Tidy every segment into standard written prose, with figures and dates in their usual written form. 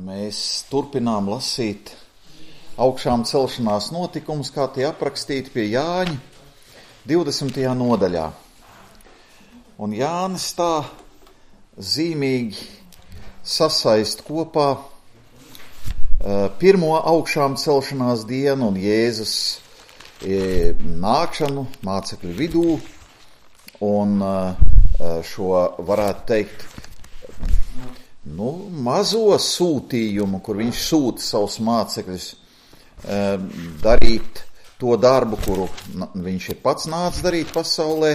Mēs turpinām lasīt augšām celšanās notikumus, kā tie aprakstīti pie Jāņa 20. nodaļā. Un Jānis tā zīmīgi sasaist kopā pirmo augšām celšanās dienu un Jēzus nākšanu mācekļu vidū un šo, varētu teikt, mazo sūtījumu, kur viņš sūta savus mācekļus darīt to darbu, kuru viņš ir pats nācis darīt pasaulē.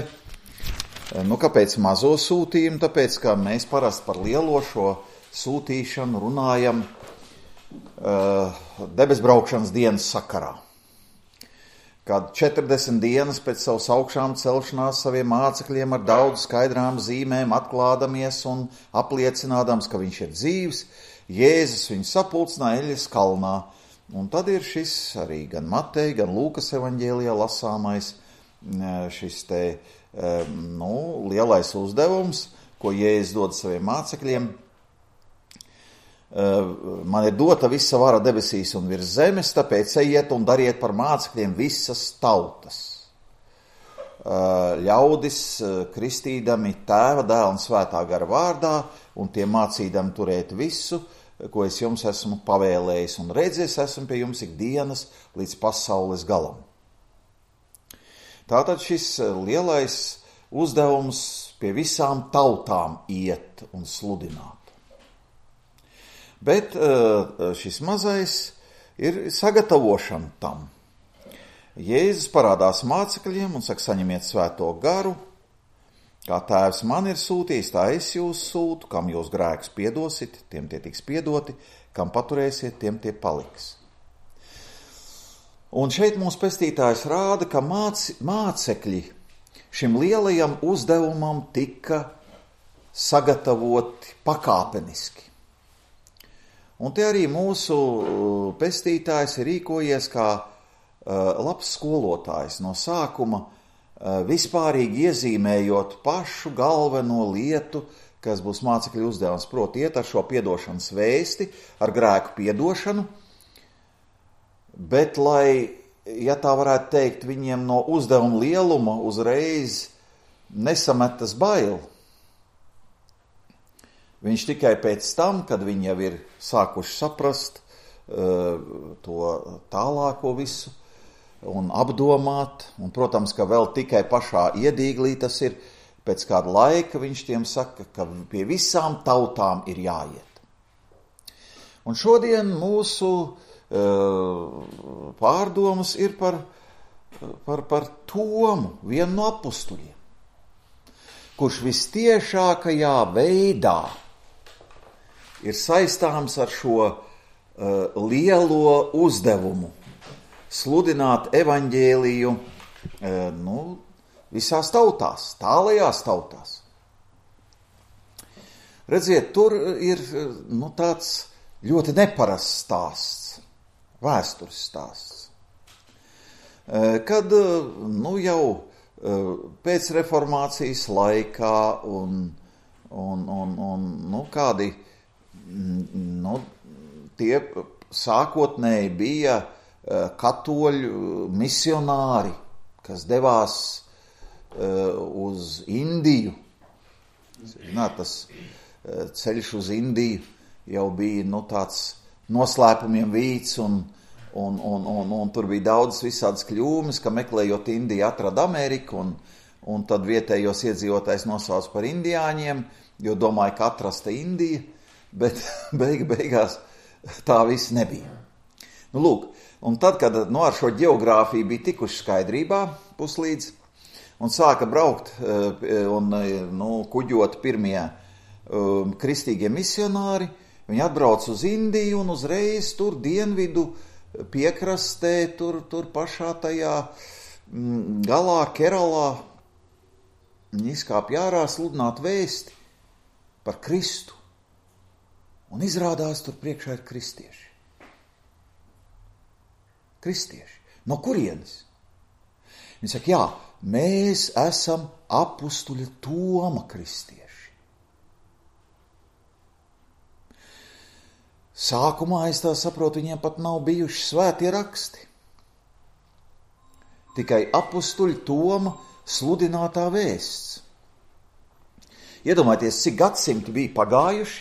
Kāpēc mazo sūtījumu? Tāpēc, ka mēs parasti par lielo šo sūtīšanu runājam debesbraukšanas dienas sakarā. Kad 40 dienas pēc savas augšām celšanās saviem mācekļiem ar daudz skaidrām zīmēm atklādamies un apliecinādams, ka viņš ir dzīvs, Jēzus viņu sapulcināja Eļas kalnā. Un tad ir šis arī gan Mateja, gan Lūkas evaņģēlijā lasāmais šis te lielais uzdevums, ko Jēzus dod saviem mācekļiem. Man ir dota visa vara debesīs un virs zemes, tāpēc ejiet un dariet par mācekļiem visas tautas. Ļaudis kristīdami Tēva, Dēla un Svētā gara vārdā un tie mācīdami turēt visu, ko es jums esmu pavēlējis, un redzies esmu pie jums ikdienas līdz pasaules galam. Tātad šis lielais uzdevums pie visām tautām iet un sludināt. Bet šis mazais ir sagatavošana tam. Jēzus parādās mācekļiem un saka, saņemiet svēto garu, kā Tēvs man ir sūtījis, tā es jūs sūtu, kam jūs grēkus piedosit, tiem tie tiks piedoti, kam paturēsiet, tiem tie paliks. Un šeit mums pestītājs rāda, ka mācekļi šim lielajam uzdevumam tika sagatavoti pakāpeniski. Un te arī mūsu pestītājs ir rīkojies kā labs skolotājs no sākuma, vispārīgi iezīmējot pašu galveno lietu, kas būs mācekļu uzdevums, proti iet ar šo piedošanas vēsti, ar grēku piedošanu, bet lai, ja tā varētu teikt, viņiem no uzdevuma lieluma uzreiz nesametas bail. Viņš tikai pēc tam, kad viņi jau ir sākuši saprast to tālāko visu un apdomāt, un, protams, ka vēl tikai pašā iedīglī tas ir, pēc kāda laika viņš tiem saka, ka pie visām tautām ir jāiet. Un šodien mūsu pārdomas ir par Tomu, vienu no apustuļiem, kurš vistiešākajā veidā ir saistāms ar šo lielo uzdevumu sludināt evaņģēliju visās tautās, tālajās tautās. Redziet, tur ir tāds ļoti neparasts stāsts, vēstures stāsts, kad jau pēc reformācijas laikā un kādi tie sākotnēji bija katoļu misionāri, kas devās uz Indiju. Zināt, tas ceļš uz Indiju jau bija tāds noslēpumiem vīts un tur bija daudz visādas kļūmes, ka meklējot Indiju atrada Ameriku un tad vietējos iedzīvotājs nosauc par indiāņiem, jo domāja, ka atrasta Indija, bet beigās tā viss nebija. Lūk, un tad, kad ar šo ģeogrāfiju bija tikuši skaidrībā puslīdz un sāka braukt un kuģot pirmie kristīgie misionāri, viņi atbrauc uz Indiju un uzreiz tur dienvidu piekrastē, tur pašā tajā galā, Keralā, viņi izkāpj ārā sludināt vēsti par Kristu. Un izrādās tur priekšā ir kristieši. Kristieši. No kurienes? Viņi saka, jā, mēs esam apustuļa Toma kristieši. Sākumā, es tā saprotu, viņiem pat nav bijuši svētie raksti. Tikai apustuļa Toma sludinātā vēsts. Iedomājieties, cik gadsimti bija pagājuši,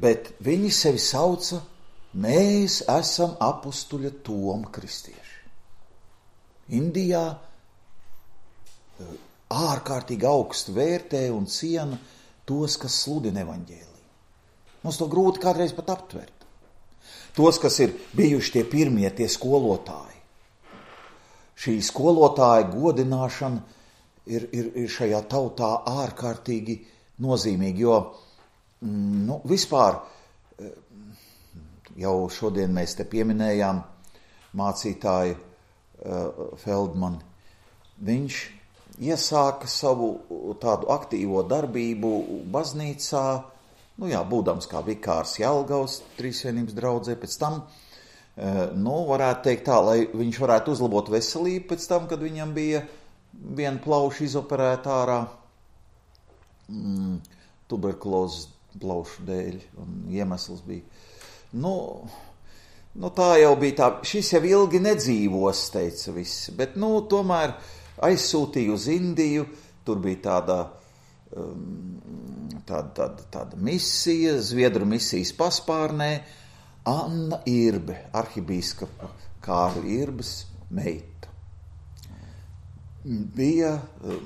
bet viņi sevi sauca, mēs esam apustuļa Toma kristieši. Indijā ārkārtīgi augstu vērtē un ciena tos, kas sludina evaņģēliju. Mums to grūti kādreiz pat aptvert. Tos, kas ir bijuši tie pirmie, tie skolotāji. Šī skolotāja godināšana ir šajā tautā ārkārtīgi nozīmīga, jo vispār jau šodien mēs te pieminējām mācītāju Feldmani. Viņš iesāka savu tādu aktīvo darbību baznīcā, būdams kā vikārs Jelgavas Trīsvienības draudzē, pēc tam, varētu teikt tā, lai viņš varētu uzlabot veselību pēc tam, kad viņam bija viena plauša izoperēta ārā tuberkulozes plaušu dēļ, un iemesls bija. Tā jau bija tā, šis jau ilgi nedzīvos, teica visi, bet, tomēr aizsūtīja uz Indiju, tur bija tāda misija, Zviedru misijas paspārnē, Anna Irbe, arhibīskapa Kārļa Irbes meita. Bija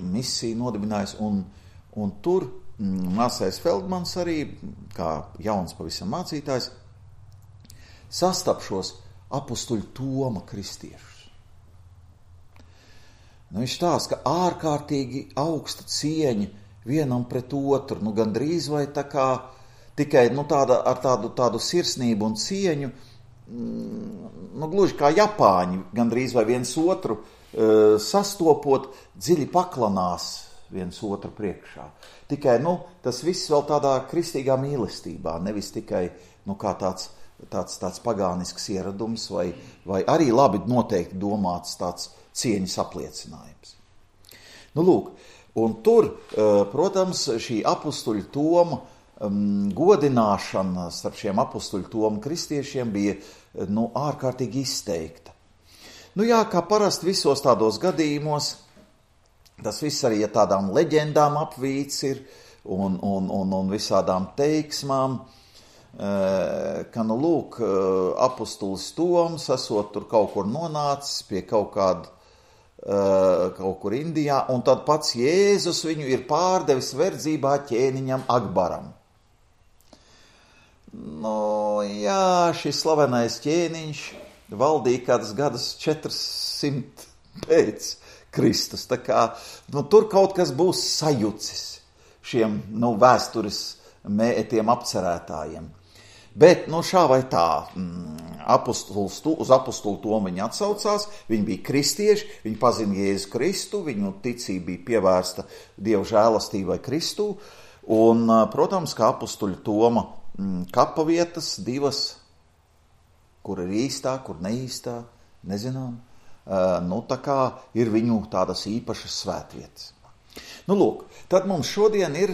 misija nodibinājusi, un tur māsais Feldmans arī, kā jauns pavisam mācītājs, sastapšos apustuļu Toma kristiešus. Viņš stāsta, ka ārkārtīgi augsta cieņa vienam pret otru, gandrīz vai tā kā tikai ar tādu sirsnību un cieņu, gluži kā Japāņi, gandrīz vai viens otru sastopot, dziļi paklanās viens otru priekšā. Tikai, tas viss vēl tādā kristīgā mīlestībā, nevis tikai, kā tāds pagānisks ieradums vai arī labi noteikti domāts tāds cieņas apliecinājums. Un tur, protams, šī apustuļu Toma godināšana starp šiem apustuļu Toma kristiešiem bija ārkārtīgi izteikta. Kā parasti visos tādos gadījumos, tas viss arī tādām leģendām apvīts ir un visādām teiksmām, ka, apustulis Toms esot tur kaut kur nonācis pie kaut kur Indijā, un tad pats Jēzus viņu ir pārdevis verdzībā ķēniņam Akbaram. Šis slavenais ķēniņš valdīja kādas gadus 400 pēc Kristus. Tā kā, tur kaut kas būs sajucis šiem, vēstures tiem apcerētājiem. Bet, šā vai tā, uz apustulu Tomu viņi atsaucās, viņi bija kristieši, viņi pazina Jēzu Kristu, viņu ticība bija pievērsta Dieva žēlastībai Kristū, un, protams, kā apustuļu Toma kapavietas divas, kur ir īstā, kur neīstā, nezinām, tā kā ir viņu tādas īpašas svētvietas. Tad mums šodien ir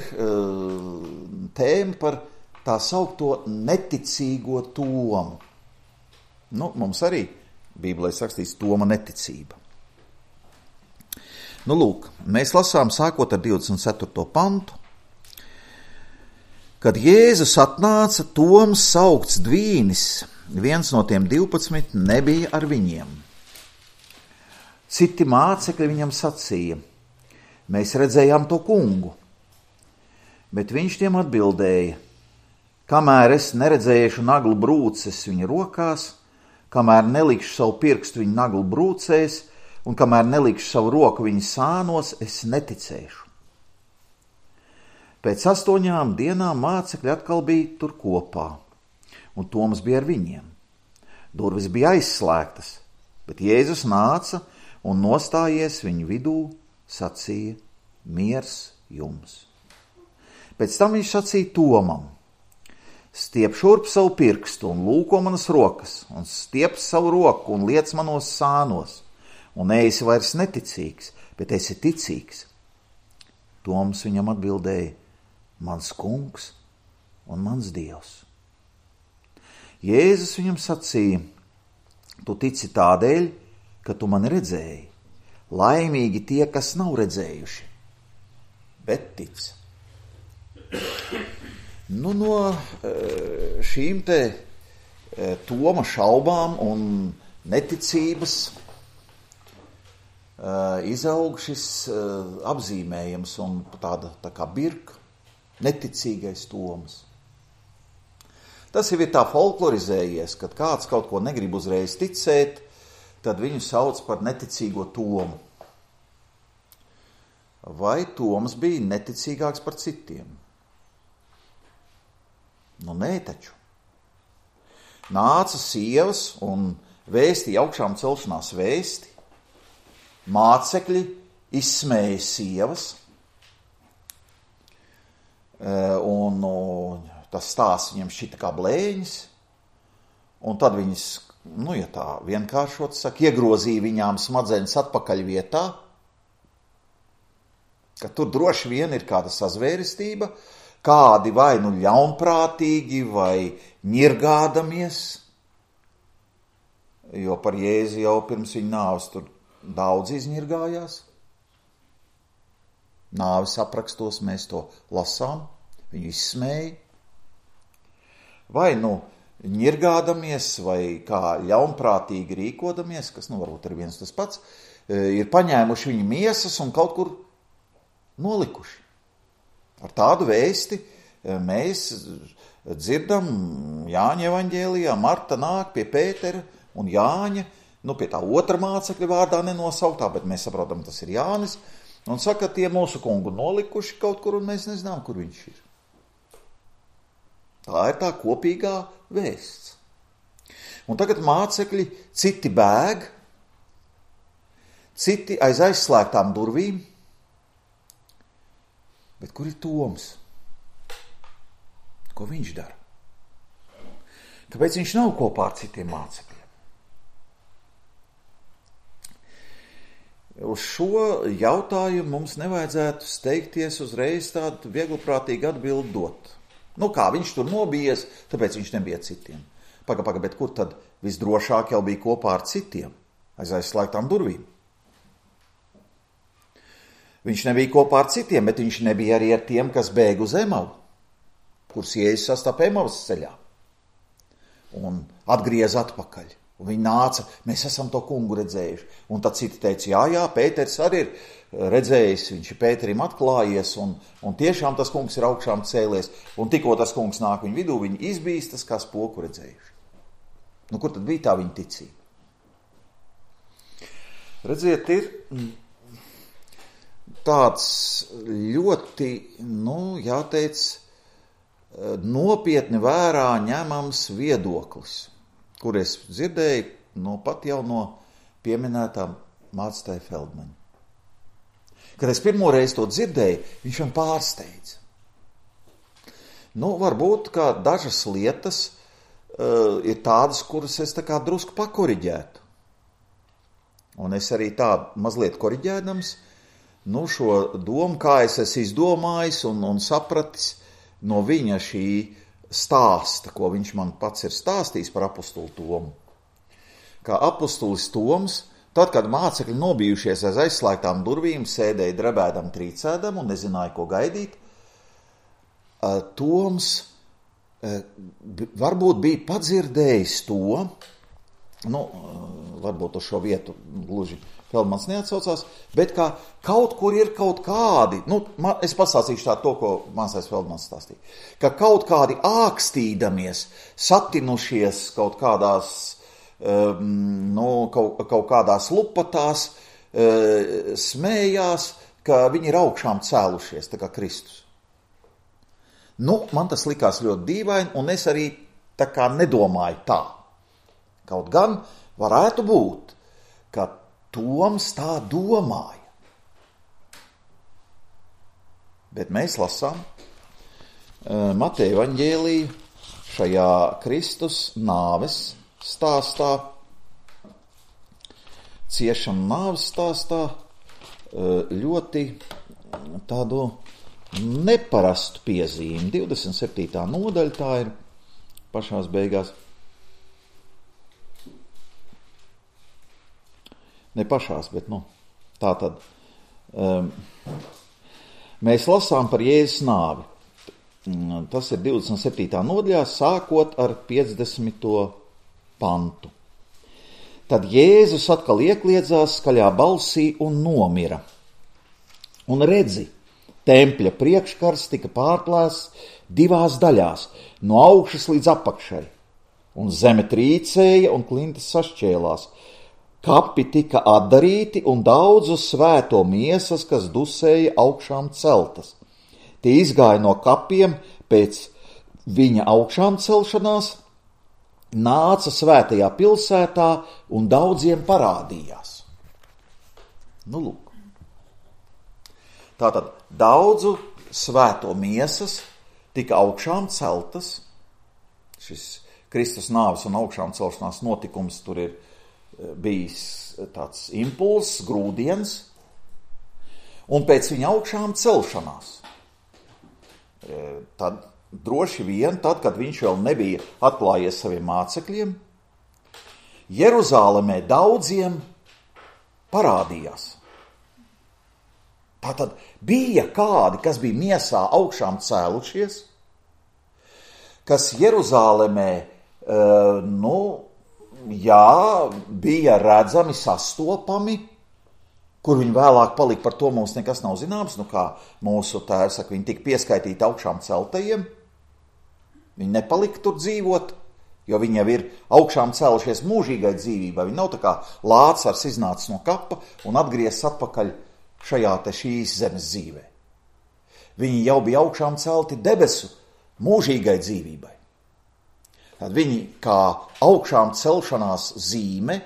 tēma par tā saukto neticīgo Tomu. Mums arī Bībelē rakstīts Toma neticība. Mēs lasām sākot ar 24. pantu. Kad Jēzus atnāca, Toms saukts Dvīnis, viens no tiem 12, nebija ar viņiem. Citi mācekļi viņam sacīja, mēs redzējām to kungu, bet viņš tiem atbildēja, kamēr es neredzēšu naglu brūces viņa rokās, kamēr nelikšu savu pirkstu viņa naglu brūcēs un kamēr nelikšu savu roku viņa sānos, es neticēšu. Pēc 8 dienām mācekļi atkal bija tur kopā, un Toms bija ar viņiem. Durvis bija aizslēgtas, bet Jēzus nāca un nostājies viņu vidū, sacīja, miers jums. Pēc tam viņš sacīja Tomam, stiep šurp savu pirkstu un lūko manas rokas, un stiep savu roku un liec manos sānos, un neesi vairs neticīgs, bet esi ticīgs. Toms viņam atbildēja, mans kungs un mans Dievs. Jēzus viņam sacīja: tu tici tādēļ, ka tu mani redzēji. Laimīgi tie, kas nav redzējuši, bet tic. Nu, no šīm te Toma šaubām un neticības izaug šis apzīmējums un tāda tā kā birka, neticīgais Toms. Tas jau ir tā folklorizējies, kad kāds kaut ko negrib uzreiz ticēt, tad viņu sauc par neticīgo Tomu. Vai Toms bija neticīgāks par citiem? Nu, nē taču. Nāca sievas un vēstīja augšām celšanās vēsti. Mācekļi izsmēja sievas. Un tas stāsts viņam šķita kā blēņas. Un tad viņas, nu, ja tā vienkāršot saka, iegrozīja viņām smadzenes atpakaļ vietā, ka tur droši vien ir kāda sazvērestība, kādi vai nu ļaunprātīgi, vai ņirgādamies, jo par Jēzu jau pirms viņa nāves tur daudz izņirgājās. Nāves aprakstos mēs to lasām, viņu izsmēja. Vai nu ņirgādamies, vai kā ļaunprātīgi rīkodamies, kas nu varbūt ir viens tas pats, ir paņēmuši viņu miesas un kaut kur nolikuši. Ar tādu vēsti mēs dzirdam Jāņa evaņģēlijā. Marta nāk pie Pētera un Jāņa, nu pie tā otra mācekļa vārdā nenosauktā, bet mēs saprotam, tas ir Jānis, un saka, tie mūsu kungu nolikuši kaut kur, un mēs nezinām, kur viņš ir. Tā ir tā kopīgā vēsts. Un tagad mācekļi citi bēg, citi aiz aizslēgtām durvīm, bet kur ir Toms? Ko viņš dara? Kāpēc viņš nav kopā ar citiem mācekļiem? Uz šo jautājumu mums nevajadzētu steigties uzreiz tādu vieglprātīgu atbildi dot. Nu kā, viņš tur nobijies, tāpēc viņš nebija citiem. Paga, bet kur tad visdrošāk jau bija kopā ar citiem, aiz aizslēgtām durvīm? Viņš nebija kopā ar citiem, bet viņš nebija arī ar tiem, kas bēg uz Emavu, kurus Jēzus sastapa Emavas ceļā un atgriez atpakaļ. Un viņi nāca, mēs esam to kungu redzējuši. Un tad citi teica, jā, Pēters arī ir redzējis, viņš ir Pēterim atklājies, un tiešām tas kungs ir augšām cēlies. Un tikko tas kungs nāk viņu vidū, viņi izbīstas kā spoku redzējuši. Nu, kur tad bija tā viņa ticība? Redziet, ir tāds ļoti, nu, jāteic, nopietni vērā ņemams viedoklis, kur es dzirdēju pat jau no pieminētām mācītāja Feldmaņa. Kad es pirmo reizi to dzirdēju, viņš man pārsteidza. Nu, varbūt, kā dažas lietas ir tādas, kuras es tā kā drusku pakoriģētu. Un es arī tā mazliet koriģēdams, šo domu, kā es esmu izdomājis un sapratis no viņa šī stāsta, ko viņš man pats ir stāstījis par apostuli Tomu. Kā apostulis Toms, tad, kad mācekļi nobijušies aiz aizslēgtām durvīm, sēdēja drebēdam, trīcēdam un nezināja, ko gaidīt, Toms varbūt bija padzirdējis to, varbūt uz šo vietu gluži Feldmans neatsaucās, bet kā kaut kur ir kaut kādi, es pastāstīšu tā to, ko mācājs Feldmans stāstīja, ka kaut kādi ākstīdamies, satinušies kaut kādās, kaut kādās lupatās, smējās, ka viņi ir augšām cēlušies, tā kā Kristus. Man tas likās ļoti dīvaini, un es arī tā kā nedomāju tā. Kaut gan varētu būt, ka Toms tā domāja. Bet mēs lasām Mateja evaņģēliju šajā Kristus nāves stāstā, ciešanu nāves stāstā, ļoti tādu neparastu piezīmi. 27. nodaļa tā ir pašās beigās. Ne pašās, bet tā tad. Mēs lasām par Jēzus nāvi. Tas ir 27. nodaļā, sākot ar 50. pantu. Tad Jēzus atkal iekliedzās skaļā balsī un nomira. Un redzi, tempļa priekškars tika pārplēsts 2 daļās, no augšas līdz apakšai, un zeme trīcēja un klintis sašķēlās. Kapi tika atdarīti un daudzu svēto miesas, kas dusēja augšām celtas. Tie izgāja no kapiem pēc viņa augšām celšanās, nāca svētajā pilsētā un daudziem parādījās. Lūk. Tātad daudzu svēto miesas tika augšām celtas. Šis Kristus nāves un augšām celšanās notikums tur ir bijis tāds impulss, grūdiens, un pēc viņa augšām celšanās. Tad droši vien, tad, kad viņš vēl nebija atklājies saviem mācekļiem, Jeruzālemē daudziem parādījās. Tātad bija kādi, kas bija miesā augšām cēlušies, kas Jeruzālemē, bija redzami, sastopami, kur viņi vēlāk palika, par to mums nekas nav zināms, kā mūsu tēvs saka, viņi tika pieskaitīti augšām celtajiem, viņi nepalika tur dzīvot, jo viņi jau ir augšām cēlušies mūžīgai dzīvībai, viņi nav tā kā Lācars iznācis no kapa un atgriezis atpakaļ šīs zemes dzīvē. Viņi jau bija augšām celti debesu mūžīgai dzīvībai. Tad viņi kā augšām celšanās zīme,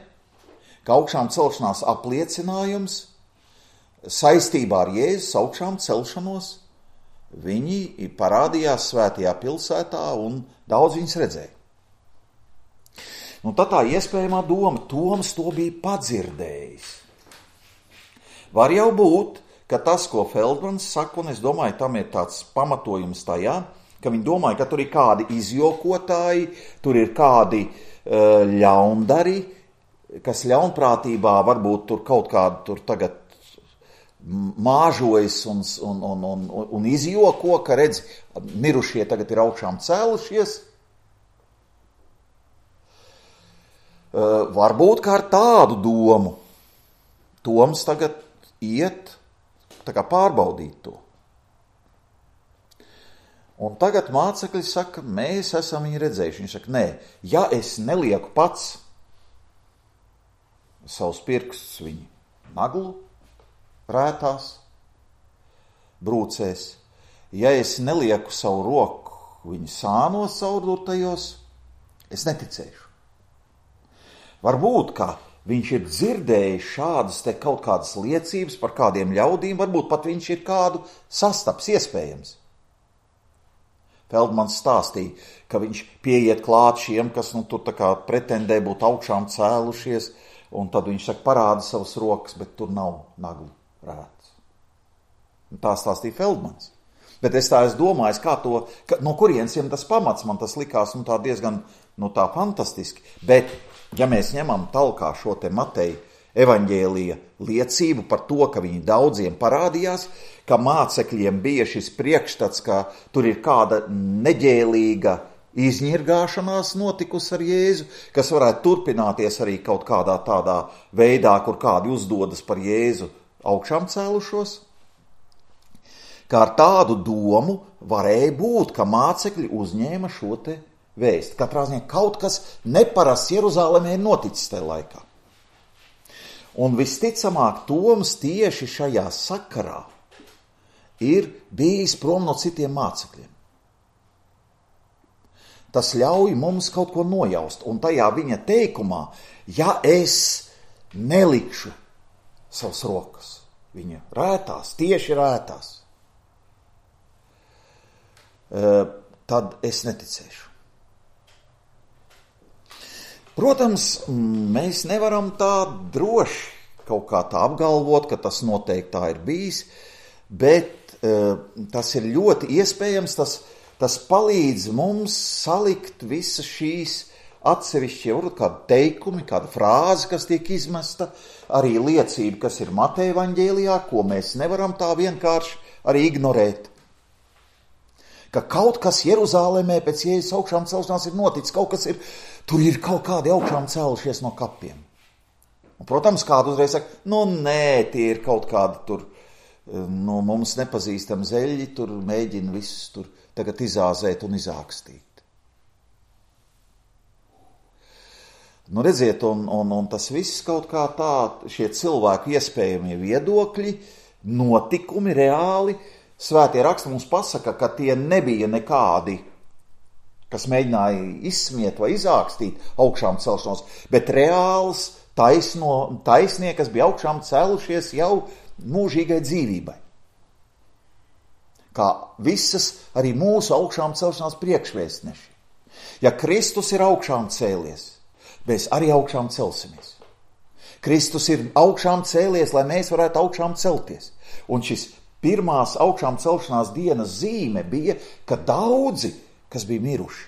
kā augšām celšanās apliecinājums saistībā ar Jēzus augšām celšanos, viņi parādījās svētajā pilsētā un daudz viņus redzēja. Tad tā iespējamā doma, Toms to bija padzirdējis. Var jau būt, ka tas, ko Feldmans saka, un es domāju, tam ir tāds pamatojums tajā, ka viņi domāja, ka tur ir kādi izjokotāji, tur ir kādi ļaundari, kas ļaunprātībā varbūt tur kaut kādu tur tagad māžojas un izjoko, ka redz, mirušie tagad ir augšām cēlušies. Varbūt kā ar tādu domu Toms tagad iet tā kā pārbaudīt to. Un tagad mācekļi saka, mēs esam viņu redzējuši. Viņš saka, nē, ja es nelieku pats savus pirkstus viņu naglu rētās, brūcēs, ja es nelieku savu roku viņu sānos caurdurtajos, es neticēšu. Varbūt, ka viņš ir dzirdējis šādas te kaut kādas liecības par kādiem ļaudīm, varbūt pat viņš ir kādu sastaps iespējams. Feldmans stāstīja, ka viņš pieiet klāt šiem, kas tur tā kā pretendē būt augšām cēlušies, un tad viņš saka, parāda savas rokas, bet tur nav naglu rēts. Tā stāstīja Feldmans. Bet es domāju, no kurienes jiem tas pamats, man tas likās tā diezgan tā fantastiski. Bet, ja mēs ņemam talkā šo te Mateja evaņģēlija liecību par to, ka viņi daudziem parādījās, ka mācekļiem bija šis priekšstats, ka tur ir kāda neģēlīga izņirgāšanās notikusi ar Jēzu, kas varētu turpināties arī kaut kādā tādā veidā, kur kādi uzdodas par Jēzu augšām cēlušos. Kā ar tādu domu varēja būt, ka mācekļi uzņēma šo te vēsti. Katrā ziņā kaut kas neparasts Jeruzālemē ir noticis tajā laikā. Un visticamāk, Toms tieši šajā sakarā ir bijis prom no citiem mācekļiem. Tas ļauj mums kaut ko nojaust. Un tajā viņa teikumā, ja es nelikšu savas rokas, viņa rētās, tieši rētās, tad es neticēšu. Protams, mēs nevaram tā droši kaut kā tā apgalvot, ka tas noteikti tā ir bijis, bet tas ir ļoti iespējams, tas palīdz mums salikt visas šīs atsevišķi, varbūt kādi teikumi, kāda frāze, kas tiek izmesta, arī liecība, kas ir Mateja evaņģēlijā, ko mēs nevaram tā vienkārši arī ignorēt. Ka kaut kas Jeruzālēmē pēc Jēzus augšām celšanās ir noticis, kaut kas ir, tur ir kaut kādi augšām cēlušies no kapiem. Un, protams, kādu uzreiz saka, nē, tie ir kaut kādi tur, mums nepazīstami zeļi, tur mēģina visus tur tagad izāzēt un izākstīt. Redziet, un tas viss kaut kā tā, šie cilvēku iespējamie viedokļi, notikumi reāli, svētie raksti mums pasaka, ka tie nebija nekādi, kas mēģināja izsmiet vai izākstīt augšām celšanos, bet reāls taisnie, kas bija augšām cēlušies jau mūžīgai dzīvībai. Kā visas arī mūsu augšām celšanās priekšvēstneši. Ja Kristus ir augšām cēlies, mēs arī augšām celsimies. Kristus ir augšām cēlies, lai mēs varētu augšām celties. Un šis pirmās augšām celšanās dienas zīme bija, ka daudzi, kas bija miruši,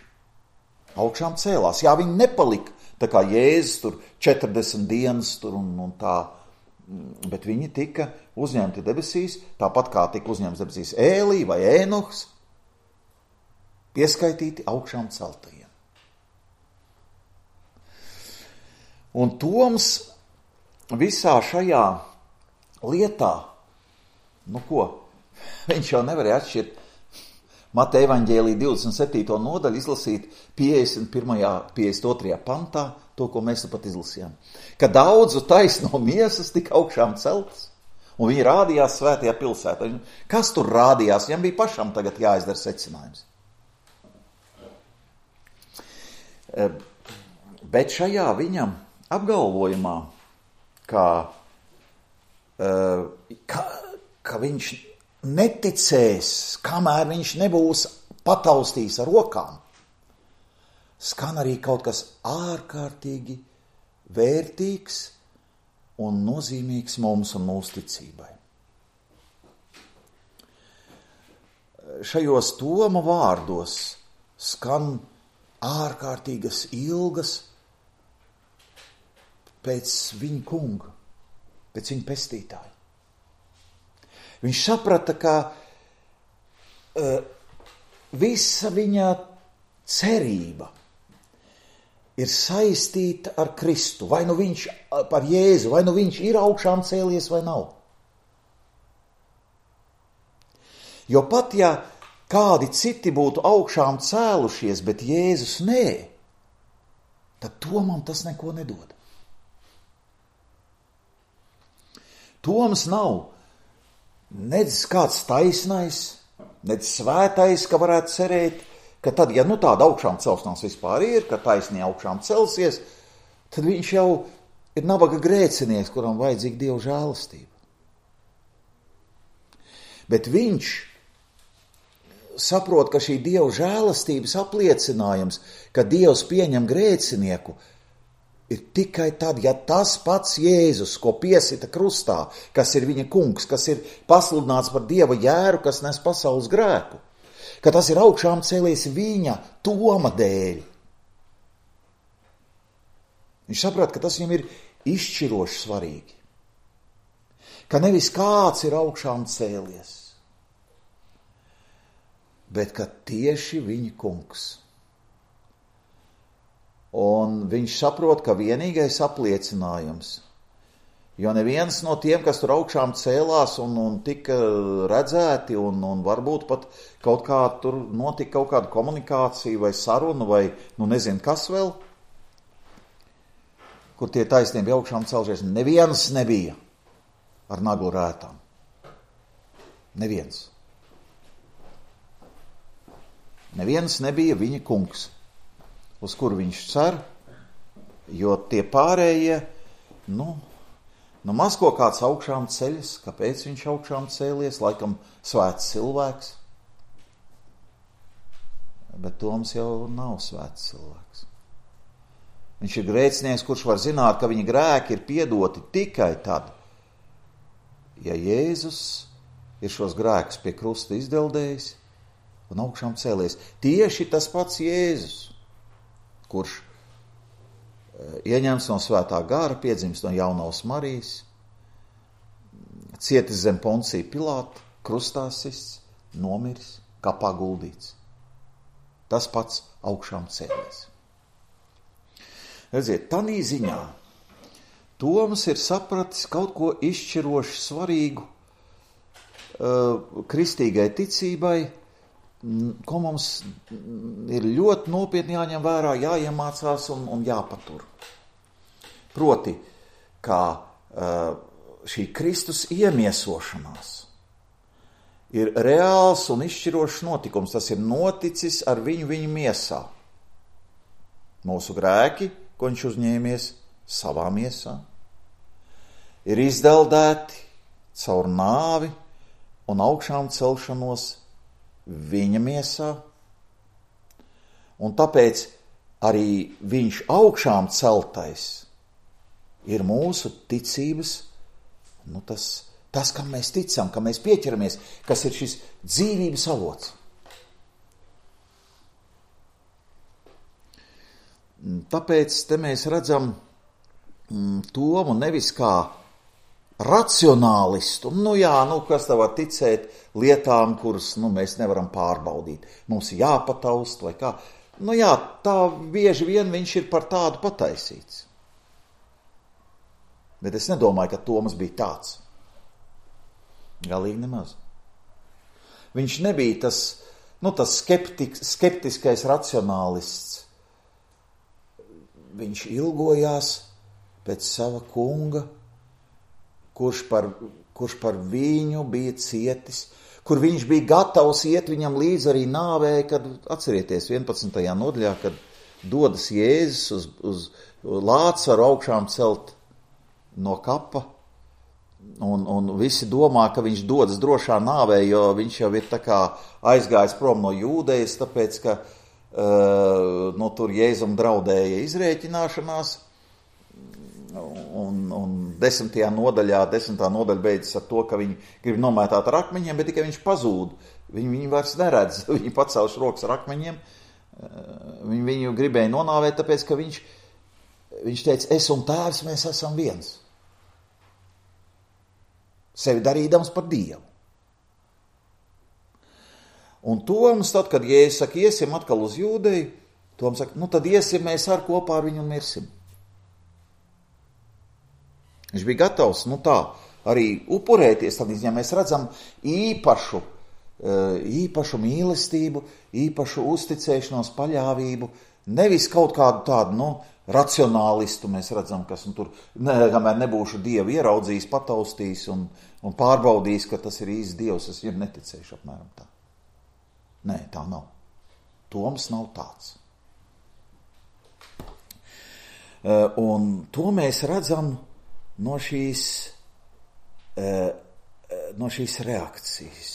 augšām cēlās. Jā, viņi nepalika, tā kā Jēzus tur 40 dienas tur un tā, bet viņi tika uzņemti debesīs, tāpat kā tika uzņemts debesīs Ēlī vai Ēnohs, pieskaitīti augšām celtajiem. Un Toms visā šajā lietā, viņš jau nevarēja atšķirt Mateja evaņģēlija 27. nodaļu, izlasīt 51. 52. pantā, to, ko mēs pat izlasījām. Ka daudzu taisno miesas tika augšām celtas, un viņi rādījās svētajā pilsētā. Kas tur rādījās? Viņam bija pašam tagad jāizdara secinājums. Bet šajā viņam apgalvojumā, ka viņš neticēs, kamēr viņš nebūs pataustījis ar rokām, skan arī kaut kas ārkārtīgi vērtīgs un nozīmīgs mums un mūsu ticībai. Šajos Toma vārdos skan ārkārtīgas ilgas pēc viņa kunga, pēc viņa pestītāja. Viņš saprata, ka visa viņa cerība ir saistīta ar Kristu. Vai nu viņš par Jēzu, vai nu viņš ir augšām cēlies vai nav. Jo pat ja kādi citi būtu augšām cēlušies, bet Jēzus nē, tad Tomam tas neko nedod. Toms nav nedz kāds taisnais, nedz svētais, ka varētu cerēt, ka tad, ja tāda augšām celšanās vispār ir, ka taisnie augšām celsies, tad viņš jau ir nabaga grēcinieks, kuram vajadzīga Dieva žēlastība. Bet viņš saprot, ka šī Dieva žēlastības apliecinājums, ka Dievs pieņem grēcinieku, ir tikai tad, ja tas pats Jēzus, ko piesita krustā, kas ir viņa kungs, kas ir pasludināts par Dieva jēru, kas nes pasaules grēku, ka tas ir augšām cēlies viņa Toma dēļ. Viņš saprot, ka tas viņam ir izšķiroši svarīgi. Ka nevis kāds ir augšām cēlies, bet ka tieši viņa kungs. Un viņš saprot, ka vienīgais apliecinājums, jo neviens no tiem, kas tur augšām cēlās un tika redzēti, un varbūt pat kaut kā tur notika kaut kāda komunikācija vai saruna vai nezinu kas vēl, kur tie taisnie bija augšām celšies, neviens nebija ar naglu rētām. Neviens. Neviens nebija viņa kungs, uz kuru viņš cer, jo tie pārējie, maz ko kāds augšām ceļas, kāpēc viņš augšām cēlies, laikam svēts cilvēks. Bet Toms jau nav svēts cilvēks. Viņš ir grēcinieks, kurš var zināt, ka viņa grēki ir piedoti tikai tad, ja Jēzus ir šos grēkus pie krusta izdeldējis un augšām cēlies. Tieši tas pats Jēzus, kurš ieņemts no svētā gara, piedzimst no jaunavas Marijas, cietis zem Poncija Pilāta, krustā sists, nomiris, kapā guldīts. Tas pats augšām cēlies. Redziet, tanī ziņā Toms ir sapratis kaut ko izšķiroši svarīgu kristīgai ticībai, ko mums ir ļoti nopietni jāņem vērā, jāiemācās un jāpatur. Proti, kā šī Kristus iemiesošanās ir reāls un izšķirošs notikums. Tas ir noticis ar viņu miesā. Mūsu grēki, ko viņš uzņēmies savā miesā, ir izdeldēti caur nāvi un augšām celšanos viņa miesā. Un tāpēc arī viņš augšām celtais ir mūsu ticības, tas, kam mēs ticam, kam mēs pieķeramies, kas ir šis dzīvības avots. Tāpēc te mēs redzam Tomu nevis kā racionālistu. Kas tā var ticēt lietām, kuras mēs nevaram pārbaudīt. Mums ir jāpataust vai kā. Tā bieži vien viņš ir par tādu pataisīts. Bet es nedomāju, ka Toms bija tāds. Galīgi nemaz. Viņš nebija tas skeptiskais racionālists. Viņš ilgojās pēc sava kunga, kurš par viņu bija cietis, kur viņš bija gatavs iet viņam līdz arī nāvē, kad, atcerieties, 11. nodaļā, kad dodas Jēzus uz Lācaru augšām celt no kapa, un visi domā, ka viņš dodas drošā nāvē, jo viņš jau ir tā kā aizgājis prom no Jūdejas, tāpēc, ka tur Jēzum draudēja izrēķināšanās, un 10. nodaļa beidzas ar to, ka viņi grib nomētāt ar akmeņiem, bet tikai viņš pazūd. Viņi vairs neredz, viņi pacēluši rokas ar akmeņiem, viņu gribēja nonāvēt, tāpēc, ka viņš teica, es un tēvs, mēs esam viens. Sevi darīdams par Dievu. Un Toms, tad, kad Jēzus saka, iesim atkal uz Jūdeju, Toms saka, tad iesim mēs ar kopā ar viņu un mirsim. Viņš bija gatavs, arī upurēties, tad mēs redzam īpašu mīlestību, īpašu uzticēšanos, paļāvību, nevis kaut kādu tādu, racionālistu mēs redzam, kas tur, kamēr nebūšu Dievu ieraudzījis, pataustījis un pārbaudījis, ka tas ir īsts Dievs, es viņam neticēšu apmēram tā. Nē, tā nav. Toms nav tāds. Un to mēs redzam no šīs reakcijas.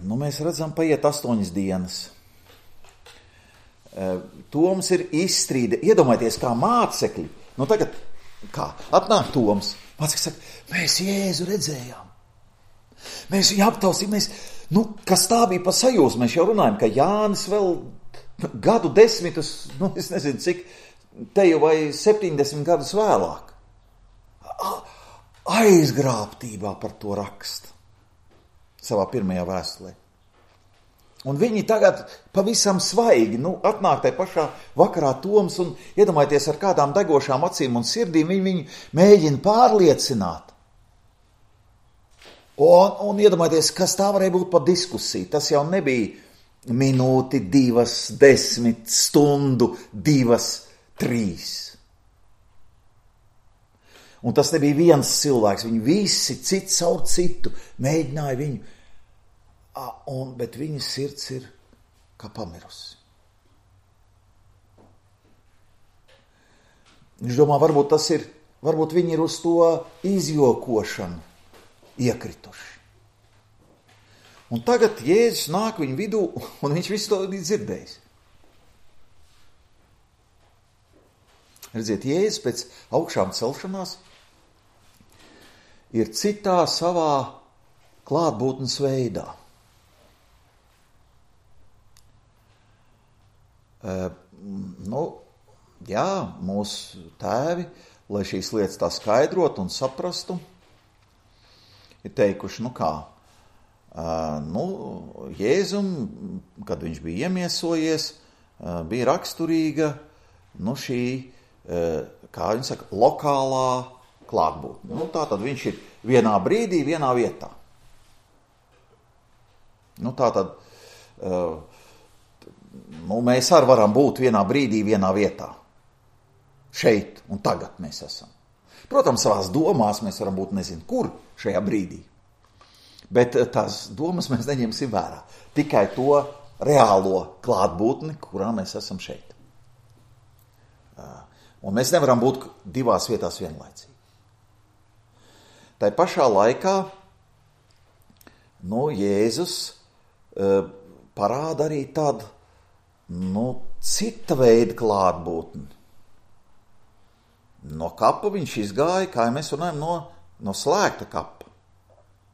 Mēs redzam, paiet 8 dienas. Toms ir izstrīde. Iedomājieties, kā mācekļi. Tagad, atnāk Toms. Mācekļi saka, mēs Jēzu redzējām. Mēs viņu aptausījām. Kas tā bija pa sajūsmu? Mēs jau runājam, ka Jānis vēl gadu desmitus, es nezinu cik, te jau vai 70 gadus vēlāk, aizgrābtībā par to raksta savā pirmajā vēstulē. Un viņi tagad pavisam svaigi, atnāk tai pašā vakarā Toms un iedomājieties ar kādām degošām acīm un sirdīm, viņi mēģina pārliecināt. Un iedomājieties, kas tā varēja būt par diskusiju. Tas jau nebija minūti, 2, 10, stundu, 2, 3. Un tas nebija viens cilvēks, viņi visi cits caur citu mēģināja viņu. Bet viņa sirds ir kā pamirusi. Viņš domā, varbūt viņi ir uz to izjokošanu iekrituši. Un tagad Jēzus nāk viņu vidū, un viņš visu to dzirdējis. Redziet, Jēzus pēc augšām celšanās ir citā savā klātbūtnes veidā. jā, mūsu tēvi, lai šīs lietas tā skaidrotu un saprastu, ir teikuši, Jēzum, kad viņš bija iemiesojies, bija raksturīga, šī, kā viņi saka, lokālā klātbūtne. Tātad viņš ir vienā brīdī, vienā vietā. Tātad, mēs arī varam būt vienā brīdī, vienā vietā. Šeit un tagad mēs esam. Protams, savās domās mēs varam būt nezinu kur šajā brīdī. Bet tās domas mēs neņemsim vērā. Tikai to reālo klātbūtni, kurā mēs esam šeit. Un mēs nevaram būt divās vietās vienlaicīgi. Tai pašā laikā Jēzus parāda arī tādu cita veida klātbūtni. No kapa viņš izgāja, kā mēs runājam, no slēgta kapa.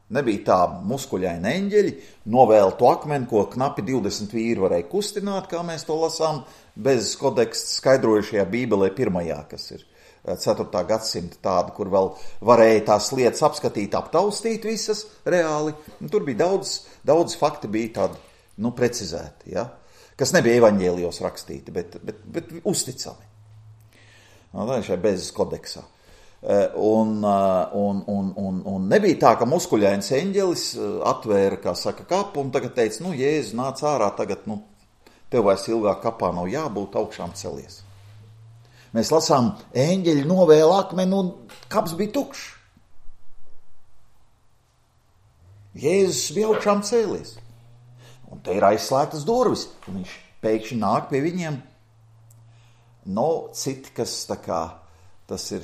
Nebija tā muskuļaini eņģeļi, novēltu akmeni, ko knapi 20 vīri varēja kustināt, kā mēs to lasām, bez kodeksta skaidrojušajā Bībelē pirmajā, kas ir 4. gadsimta tāda, kur vēl varēja tās lietas apskatīt, aptaustīt visas reāli. Tur bija daudz fakti bija tādi, precizēti, ja? Kas nebija evaņģēlijos rakstīti, bet uzticami. Tā ir šai bez kodeksā. Un nebija tā, ka muskuļains eņģelis atvēra, kā saka, kapu un tagad teica, Jēzus nāc ārā, tagad, tev vairs ilgāk kapā nav jābūt, augšām celies. Mēs lasām, eņģeļi novēla akmeni un kaps bija tukšs. Jēzus bija augšām cēlies. Un te ir aizslēgtas durvis, un viņš pēkšņi nāk pie viņiem. Citi, kas tas ir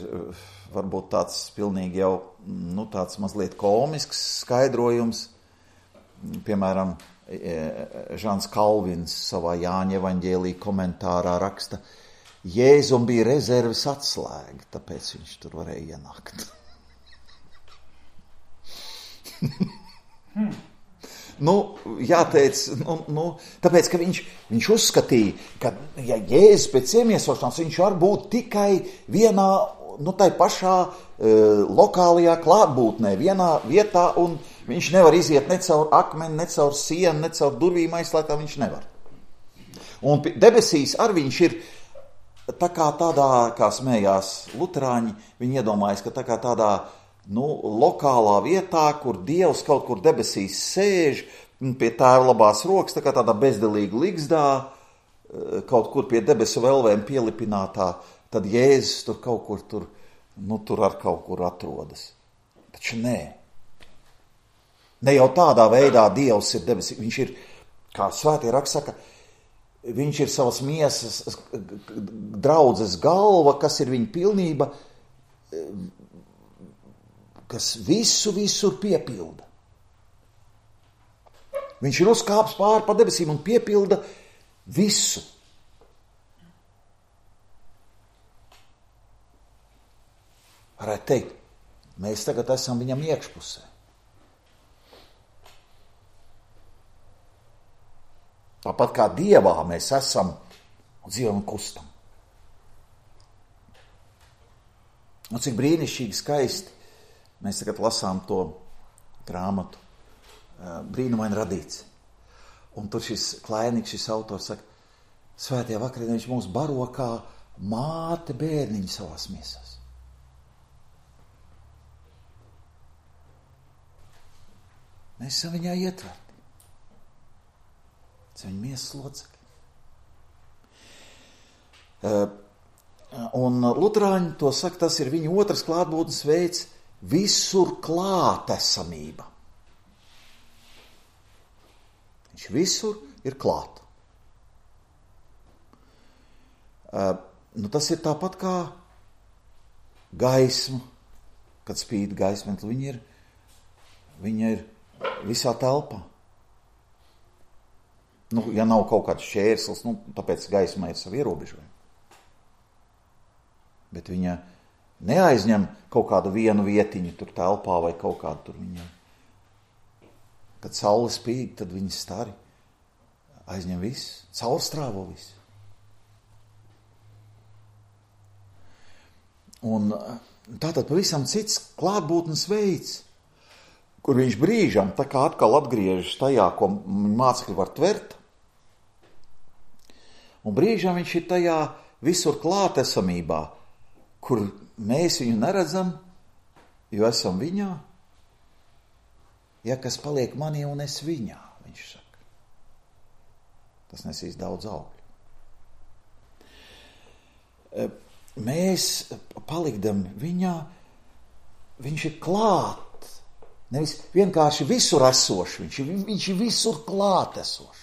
varbūt tāds pilnīgi jau, tāds mazliet komisks skaidrojums. Piemēram, Žans Kalvins savā Jāņa evaņģēlija komentārā raksta, Jēzum bija rezerves atslēga, tāpēc viņš tur varēja ienākt. Jāteic, tāpēc, ka viņš uzskatīja, ka, ja Jēzus pēc iemiesošanās, viņš var būt tikai vienā, tai pašā lokālajā klātbūtnē, vienā vietā, un viņš nevar iziet ne caur akmeni, ne caur sienu, ne caur durvīm aizslēgtā, viņš nevar. Un debesīs arī viņš ir tā kā tādā, kā smējās luterāņi, viņi iedomājas, ka tā kā tādā, lokālā vietā, kur Dievs kaut kur debesīs sēž, pie Tēva labās rokas, tā kā tādā bezdelīga ligzdā, kaut kur pie debesu velvēm pielipinātā, tad Jēzus tur kaut kur tur ar kaut kur atrodas. Taču nē. Ne jau tādā veidā Dievs ir debesīs. Viņš ir, kā svētie raksti saka, viņš ir savas miesas draudzes galva, kas ir viņa pilnība, kas visur piepilda. Viņš ir uzkāps pāri pa debesīm un piepilda visu. Varētu teikt, mēs tagad esam viņam iekšpusē. Tāpat kā Dievā mēs esam un dzīvojam un kustam. Un cik brīnišķīgi skaisti mēs tagad lasām to grāmatu Brīnumaini radīts. Un tur šis Klēniks, šis autors saka, svētajā vakarienē viņš mūs baro kā māte bērniņu savās miesās. Mēs esam viņā ietverti. Tas viņa miesas locekļi. Un luterāņi to saka, tas ir viņa otrs klātbūtnes veids, visur klātesamība. Viņš visur ir klāt. Tas ir tāpat kā gaisma, kad spīd gaisma, viņa ir visā telpā. Ja nav kaut kāds šķērslis, tāpēc gaismai ir savi ierobežojumi. Bet viņa neaizņem kaut kādu vienu vietiņu tur telpā vai kaut kādu tur viņa. Kad saule spīd, tad viņa stari aizņem visu, caurstrāvo visu. Un tātad pavisam cits klātbūtnes veids, kur viņš brīžam tā kā atkal atgriežas tajā, ko mācekļi var tvert, un brīžam viņš ir tajā visur klātesamībā, kur mēs viņu neredzam, jo esam viņā. Ja kas paliek manī un es viņā, viņš saka. Tas nesīs daudz augļu. Mēs palikdam viņā, viņš ir klāt. Nevis vienkārši visur esošs, viņš ir visur klāt esošs.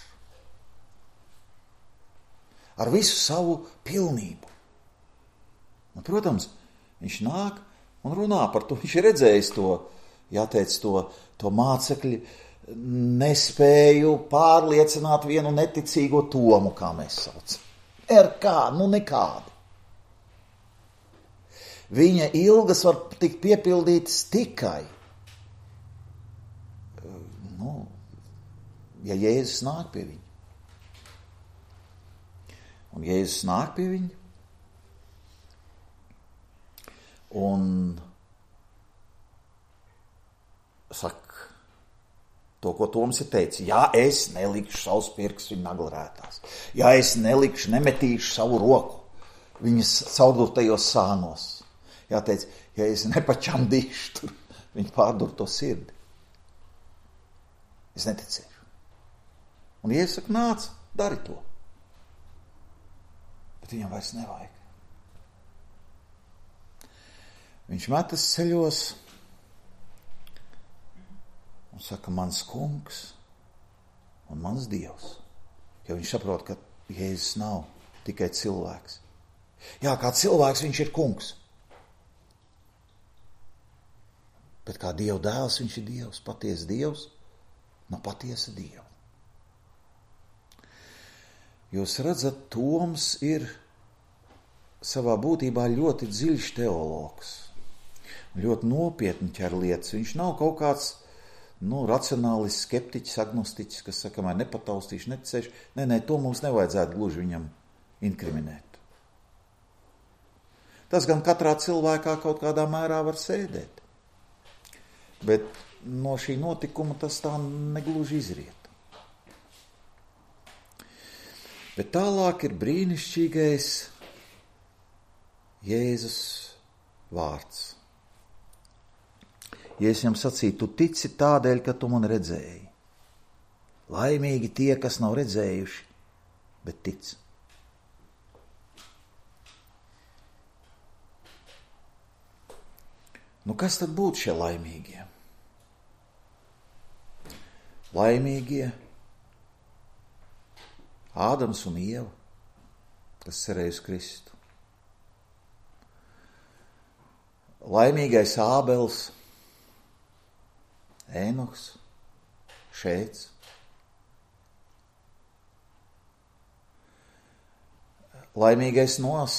Ar visu savu pilnību. Un, protams, viņš nāk un runā par to. Viņš ir redzējis to, jāteic, to mācekļi nespēju pārliecināt vienu neticīgo Tomu, kā mēs saucam. Nekādi. Viņa ilgas var tikt piepildītas tikai, ja Jēzus nāk pie viņa. Un Jēzus nāk pie viņa, un saka to, ko Toms ir teicis. Ja es nelikšu savus pirkstus viņa naglrētās, ja es nemetīšu savu roku viņas caurdurtajos sānos, jāteic, ja es nepačamdīšu tur viņa pārdurto sirdi, es neticēšu. Un Jēzus saka, nāc, dari to. Bet viņam vairs nevajag. Viņš metas ceļos un saka, mans kungs un mans Dievs. Jo viņš saprot, ka Jēzus nav tikai cilvēks. Jā, kā cilvēks viņš ir kungs. Bet kā Dieva dēls viņš ir Dievs, patiesa Dievs, no patiesa Dieva. Jūs redzat, Toms ir savā būtībā ļoti dziļš teologs. Ļoti nopietni ķer lietas. Viņš nav kaut kāds racionālis, skeptiķis, agnostiķis, kas saka, man nepataustīšu, neticēšu. Nē, to mums nevajadzētu gluži viņam inkriminēt. Tas gan katrā cilvēkā kaut kādā mērā var sēdēt. Bet no šī notikuma tas tā negluži izriet. Bet tālāk ir brīnišķīgais Jēzus vārds. Jēzus viņam sacīja, tu tici tādēļ, ka tu man redzēji. Laimīgi tie, kas nav redzējuši, bet tic. Kas tad būtu šie laimīgie? Laimīgie Ādams un Ieva, kas cerēja uz Kristu. Laimīgais Ābels, Ēnoks, Šēts. Laimīgais Nos,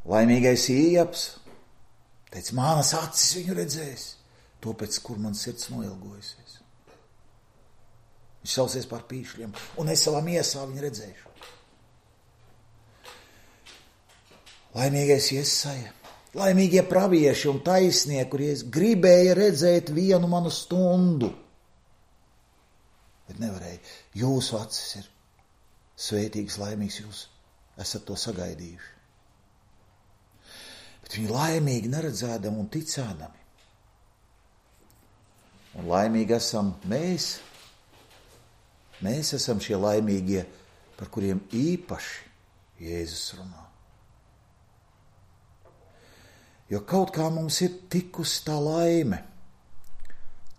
laimīgais Iejaps, teica, manas acis viņu redzēs, to pēc kur man sirds noilgojusies. Viņš sausies par pīšļiem, un es savā miesā viņu redzēšu. Laimīgais Jesaja, laimīgie pravieši un taisnieki, kuries gribēja redzēt vienu manu stundu, bet nevarēja. Jūsu acis ir svētīgs, laimīgs, jūs esat to sagaidījuši. Bet viņi laimīgi neredzēdami un ticēdami. Un laimīgi esam mēs. Mēs esam šie laimīgie, par kuriem īpaši Jēzus runā. Jo kaut kā mums ir tikusi tā laime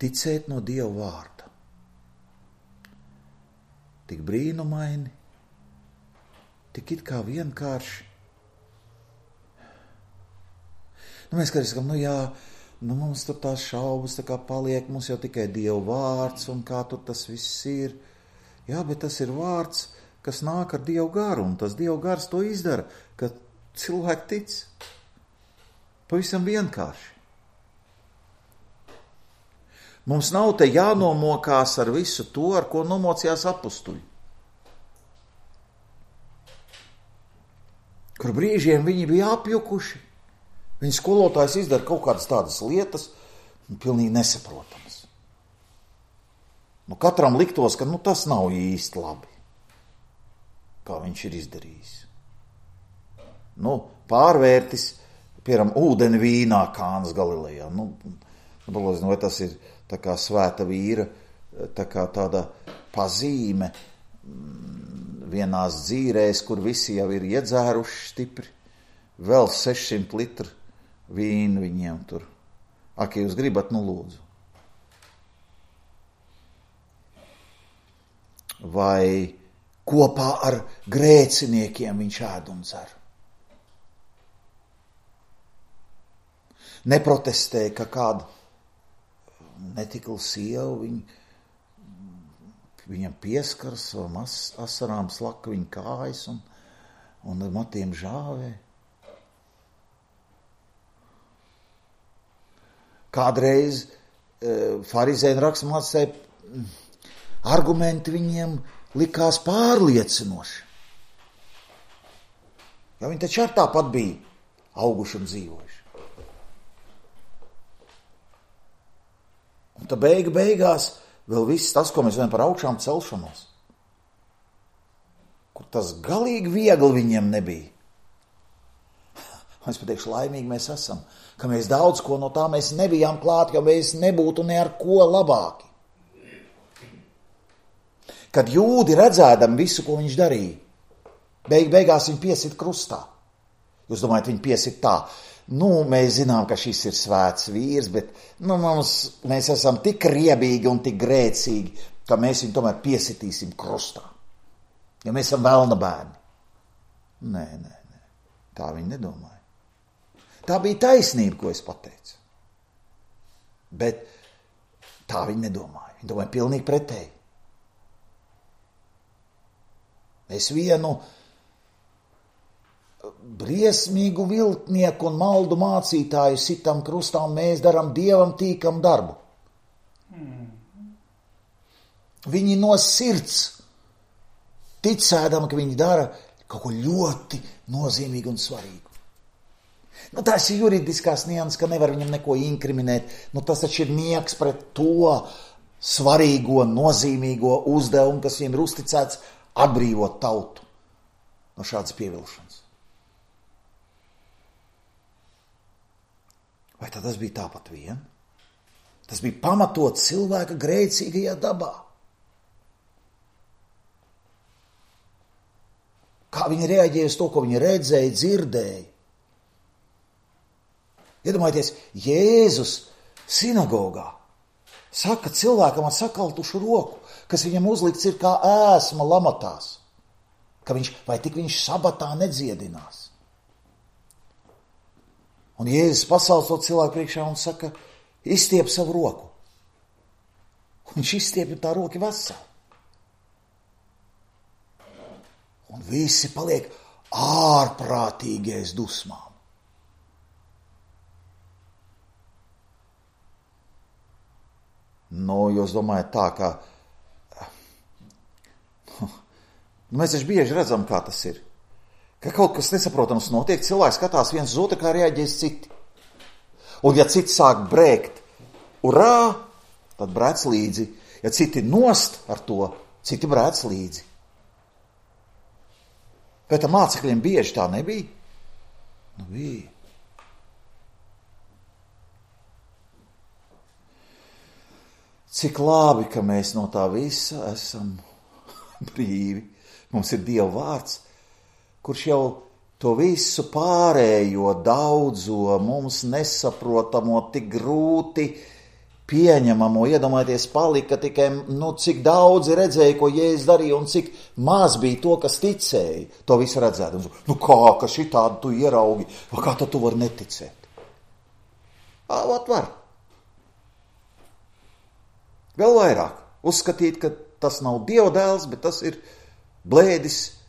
ticēt no Dieva vārda. Tik brīnumaini, tik it kā vienkārši. Mēs kā sakam, mums tur tās šaubas tā kā paliek, mums jau tikai Dieva vārds un kā tur tas viss ir. Jā, bet tas ir vārds, kas nāk ar Dievu garu, un tas Dievu gars to izdara, ka cilvēki tic. Pavisam vienkārši. Mums nav te jānomokās ar visu to, ar ko nomocījās apustuļi. kur brīžiem viņi bija apjukuši. Viņa skolotājs izdara kaut kādas tādas lietas, pilnīgi nesaprotamas. Katram liktos, ka tas nav īsti labi, kā viņš ir izdarījis. Pārvērtis, piemēram, ūdeni vīnā Kānas Galilejā. Vai tas ir tā kā svēta vīra, tā kā tāda pazīme vienās dzīrēs, kur visi jau ir iedzēruši stipri, vēl 600 litru vīnu viņiem tur. Ak, ja jūs gribat, lūdzu. Vai kopā ar grēciniekiem viņš ēd un dzer. Neprotestēja, ka kāda netikla sieva viņam pieskaras, asarām slaka viņa kājas un ar matiem žāvē. Kādreiz farizēji un raksturmācēji argumenti viņiem likās pārliecinoši. Jo viņi taču ar tāpat bija auguši un dzīvojuši. Un tad beigās vēl viss tas, ko mēs zinām par augšām celšanos, kur tas galīgi viegli viņiem nebija. Es pateikšu, laimīgi mēs esam, ka mēs daudz ko no tā mēs nebijām klāt, jo mēs nebūtu ne ar ko labāki. Kad jūdi redzēdam visu, ko viņš darīja, beigās viņi piesit krustā. Jūs domājat, viņi piesit tā. Mēs zinām, ka šis ir svēts vīrs, bet mēs esam tik riebīgi un tik grēcīgi, ka mēs viņu tomēr piesitīsim krustā. Jo mēs esam velna bērni. Nē. Tā viņi nedomāja. Tā bija taisnība, ko es pateicu. Bet tā viņi nedomāja. Viņi domāja pilnīgi pretēji. Mēs vienu briesmīgu viltnieku un maldu mācītāju sitam krustā, un mēs darām Dievam tīkam darbu. Viņi no sirds ticēdam, ka viņi dara kaut ko ļoti nozīmīgu un svarīgu. Tas ir juridiskās nianses, ka nevar viņam neko inkriminēt. Tas taču ir nieks pret to svarīgo, nozīmīgo uzdevumu, kas viņiem ir uzticēts atbrīvot tautu no šādas pievilšanas. Vai tad tas bija tāpat vien? Tas bija pamatot cilvēka grēcīgajā dabā. Kā viņi reaģēja uz to, ko viņi redzēja, dzirdēja. Iedomājieties, Jēzus sinagogā saka cilvēkam ar sakaltušu roku, kas viņam uzlikts ir kā ēsma lamatās, ka vai tik viņš sabatā nedziedinās. Un Jēzus pasauc to cilvēku priekšā un saka, izstiep savu roku. Un viņš izstiep tā roka vesela. Un visi paliek ārprātīgais dusmām. Jūs domājat tā, ka mēs taču bieži redzam, kā tas ir. Ka kaut kas nesaprotams notiek, cilvēks skatās viens uz otru, kā reaģēs citi. Un ja citi sāk brēkt, urā, tad brēc līdzi. Ja citi nost ar to, citi brēc līdzi. Bet ar mācekļiem bieži tā nebija? Bija. Cik labi, ka mēs no tā visa esam brīvi. Mums ir Dieva vārds, kurš jau to visu pārējo, daudzo, mums nesaprotamo, tik grūti pieņemamo, iedomājieties, palika tikai, cik daudzi redzēja, ko Jēzus darīja, un cik maz bija to, kas ticēja, to visu redzēt. Ka šitādu tu ieraugi, vai kā tu vari neticēt? Var. Vēl vairāk uzskatīt, ka tas nav Dieva dēls, bet tas ir blēdis,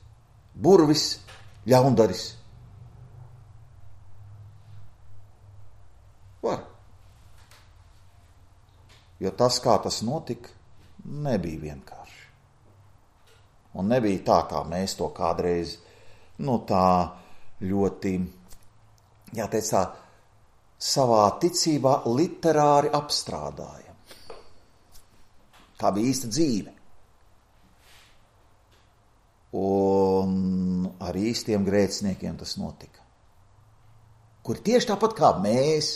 burvis, ļaundaris. Var. Jo tas, kā tas notika, nebija vienkārši. Un nebija tā, kā mēs to kādreiz, tā ļoti, jāteic tā, savā ticībā literāri apstrādāja. Tā bija īsta dzīve. Un ar īstiem grēciniekiem tas notika. Kuri tieši tāpat kā mēs,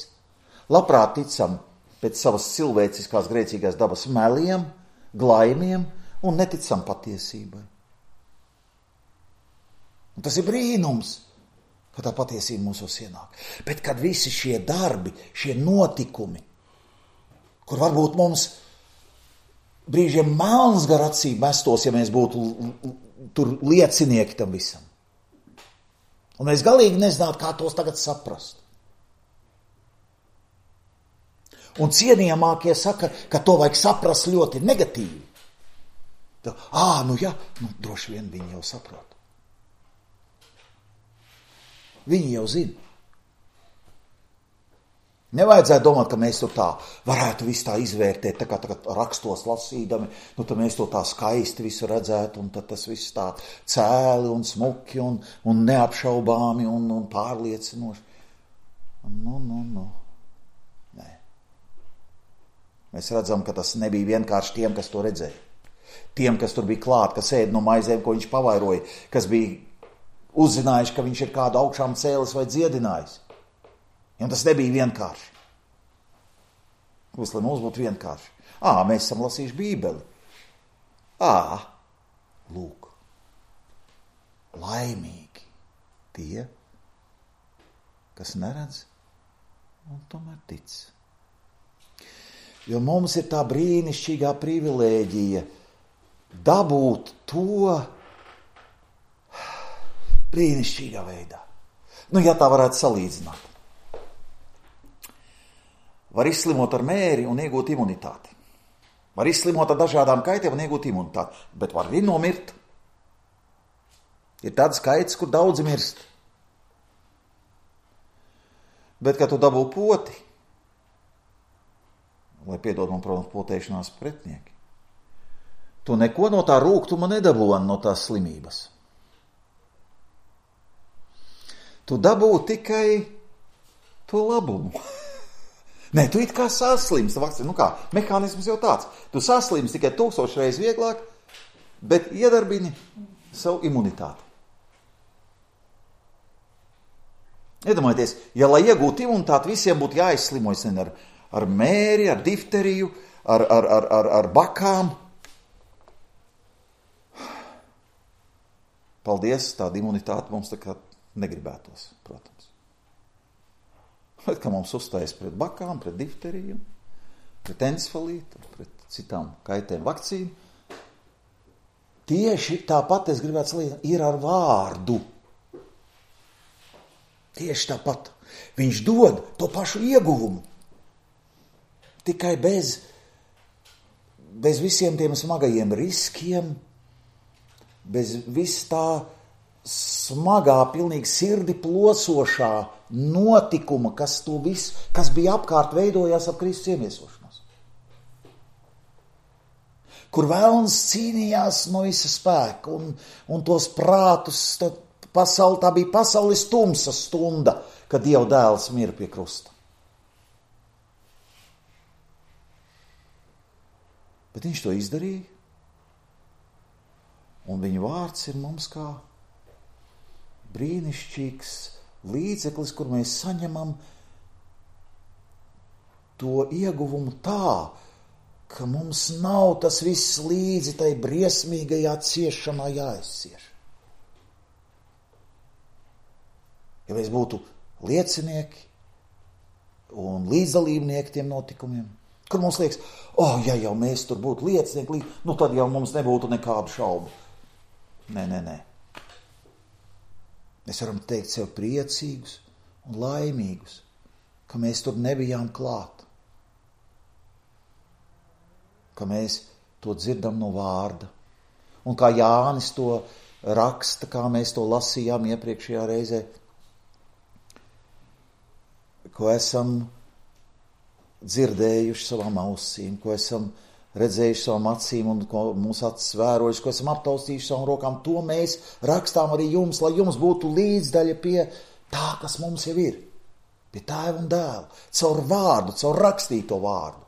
labprāt ticam pēc savas cilvēciskās grēcīgās dabas meliem, glaimiem un neticam patiesībai. Un tas ir brīnums, ka tā patiesība mūsos ienāk. Bet kad visi šie darbi, šie notikumi, kur varbūt mums brīžiem melns gar acīm mestos, ja mēs būtu tur liecinieki tam visam. Un mēs galīgi nezinātu, kā tos tagad saprast. Un cienījamākie saka, ka to vajag saprast ļoti negatīvi. Droši vien viņi jau saprot. Viņi jau zina. Nevajadzētu domāt, ka mēs tur tā varētu visu tā izvērtēt, tā kā rakstos lasīdami, tad mēs to tā skaisti visu redzētu, un tad tas viss tā cēli un smuki un neapšaubāmi un pārliecinoši. Nē. Mēs redzam, ka tas nebija vienkārši tiem, kas to redzēja. Tiem, kas tur bija klāt, kas ēd no maizēm, ko viņš pavairoja, kas bija uzzinājuši, ka viņš ir kādu augšām cēlis vai dziedinājis. Un tas nebija vienkārši. Lai mums būtu vienkārši. Mēs esam lasījuši Bībeli. Lūk. Laimīgi tie, kas neredz un tomēr tic. Jo mums ir tā brīnišķīgā privilēģija dabūt to brīnišķīgā veidā. Ja tā varētu salīdzināt. Var izslimot ar mēri un iegūt imunitāti. Var izslimot ar dažādām kaitēm un iegūt imunitāti, bet var arī nomirt. Ir tāds kaits, kur daudzi mirst. Bet, kad tu dabū poti, lai piedod man, protams, potēšanās pretinieki, tu neko no tā rūgtuma nedabūni no tās slimības. Tu dabū tikai to labumu. Nē, tu it kā saslimsti, mehānisms jau tāds. Tu saslimsti tikai 1000 reizes vieglāk, bet iedarbini savu imunitāti. Iedomājieties, ja lai iegūtu imunitāti, visiem būtu jāizslimojas ar mēri, ar difteriju, ar bakām. Paldies, tāda imunitāte mums tā kā negribētos, protams. Bet, ka mums uzstājas pret bakām, pret difteriju, pret encefalītu, pret citām kaitēm vakcīnu. Tieši tāpat, es gribētu salīdzināt, ir ar vārdu. Tieši tāpat. Viņš dod to pašu ieguvumu. Tikai bez visiem tiem smagajiem riskiem, bez vis tā smagā, pilnīgi sirdi plosošā notikuma, kas bija apkārt, veidojās ap Kristus iemiesošanos. Kur vēlns cīnījās no visa spēka un tos prātus, tā bija pasaules tumsa stunda, kad Dieva dēls mira pie krusta. Bet viņš to izdarīja, un viņa vārds ir mums kā brīnišķīgs līdzeklis, kur mēs saņemam to ieguvumu tā, ka mums nav tas viss līdzi tai briesmīgajā ciešanā jāizcieš. Ja mēs būtu liecinieki un līdzdalībnieki tiem notikumiem, kur mums liekas, ja jau mēs tur būtu liecinieki, tad jau mums nebūtu nekādu šaubu. Nē. Mēs varam teikt sev priecīgus un laimīgus, ka mēs tur nebijām klāt. Ka mēs to dzirdam no vārda. Un kā Jānis to raksta, kā mēs to lasījām iepriekšējā reizē, ko esam dzirdējuši savām ausīm, ko esam redzējuši savām acīm un ko mūsu acis vērojuši, ko esam aptaustījuši savām rokām, to mēs rakstām arī jums, lai jums būtu līdzdaļa pie tā, kas mums jau ir. Pie Tēva un Dēla, caur vārdu, caur rakstīto vārdu.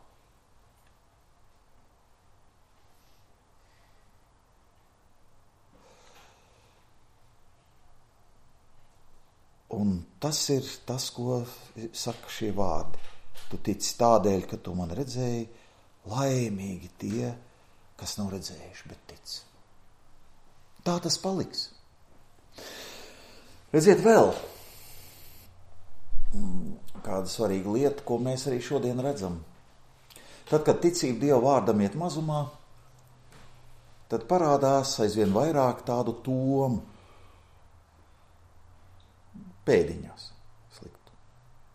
Un tas ir tas, ko saka šie vārdi. Tu tici tādēļ, ka tu man redzēji, laimīgi tie, kas nav redzējuši, bet tic. Tā tas paliks. Redziet vēl kāda svarīga lieta, ko mēs arī šodien redzam. Tad, kad ticība Dieva vārdam iet mazumā, tad parādās aizvien vairāk tādu tomu. Pēdiņās sliktu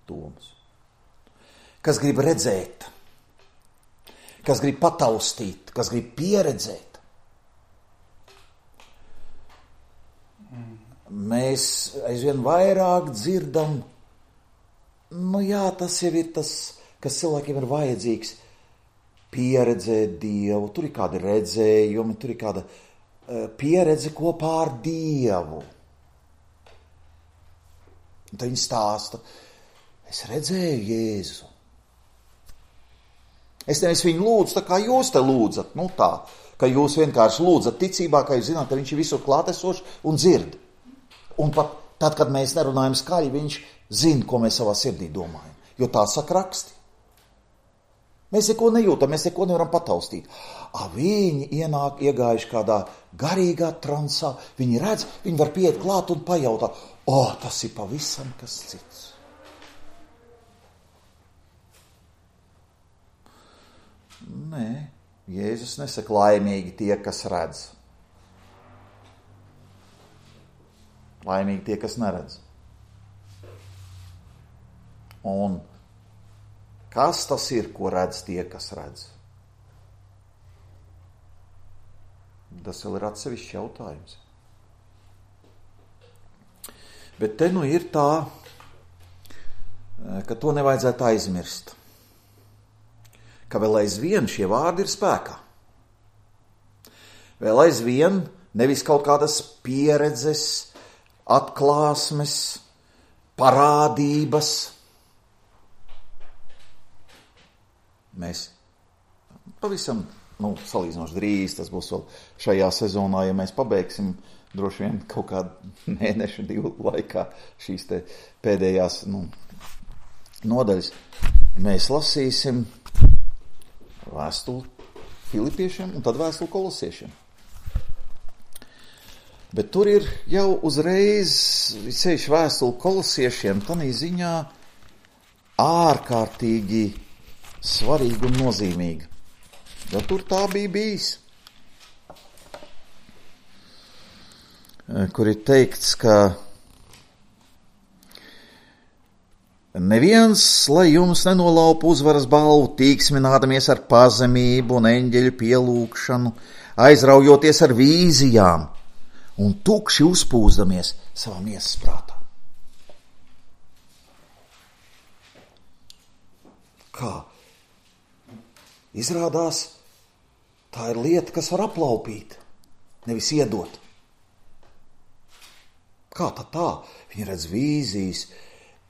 domas. Kas grib redzēt, kas grib pataustīt, kas grib pieredzēt. Mēs aizvien vairāk dzirdam, tas jau ir tas, kas cilvēkiem ir vajadzīgs, pieredzēt Dievu. Tur ir kādi redzējumi, tur ir kāda pieredze kopā ar Dievu. Un tad viņi stāsta, es redzēju Jēzu. Es nevis viņu lūdzu, tā kā jūs te lūdzat, tā, ka jūs vienkārši lūdzat ticībā, ka jūs zināt, ka viņš ir visur klātesošs un dzird. Un pat tad, kad mēs nerunājam skaļi, viņš zina, ko mēs savā sirdī domājam, jo tā saka raksti. Mēs neko nejūtam, mēs neko nevaram pataustīt. Viņi iegājuši kādā garīgā transā, viņi redz, viņi var pieiet klāt un pajautāt, tas ir pavisam kas cits. Nē, Jēzus nesaka laimīgi tie, kas redz. Laimīgi tie, kas neredz. Un kas tas ir, ko redz tie, kas redz? Tas vēl ir atsevišķs jautājums. Bet te ir tā, ka to nevajadzētu aizmirst. Ka vēl aizvien šie vārdi ir spēkā. Vēl aizvien nevis kaut kādas pieredzes, atklāsmes, parādības. Mēs pavisam, salīdzinoši drīz, tas būs vēl šajā sezonā, ja mēs pabeigsim droši vien kaut kādu mēnešu, 2 laikā šīs te pēdējās nodaļas. Mēs lasīsim vēstuli Filipiešiem un tad vēstuli Kolosiešiem. Bet tur ir jau uzreiz, ceļš vēstuli Kolosiešiem, tanī ziņā ārkārtīgi svarīga un nozīmīga. Jo tur tā bija bijis. Kur ir teikts, ka neviens, lai jums nenolaupa uzvaras balvu, tīksminādamies ar pazemību un eņģeļu pielūgšanu, aizraujoties ar vīzijām un tukši uzpūzdamies savā miesas prātā. Kā? Izrādās, tā ir lieta, kas var aplaupīt, nevis iedot. Kā tā? Viņi redz vīzijas,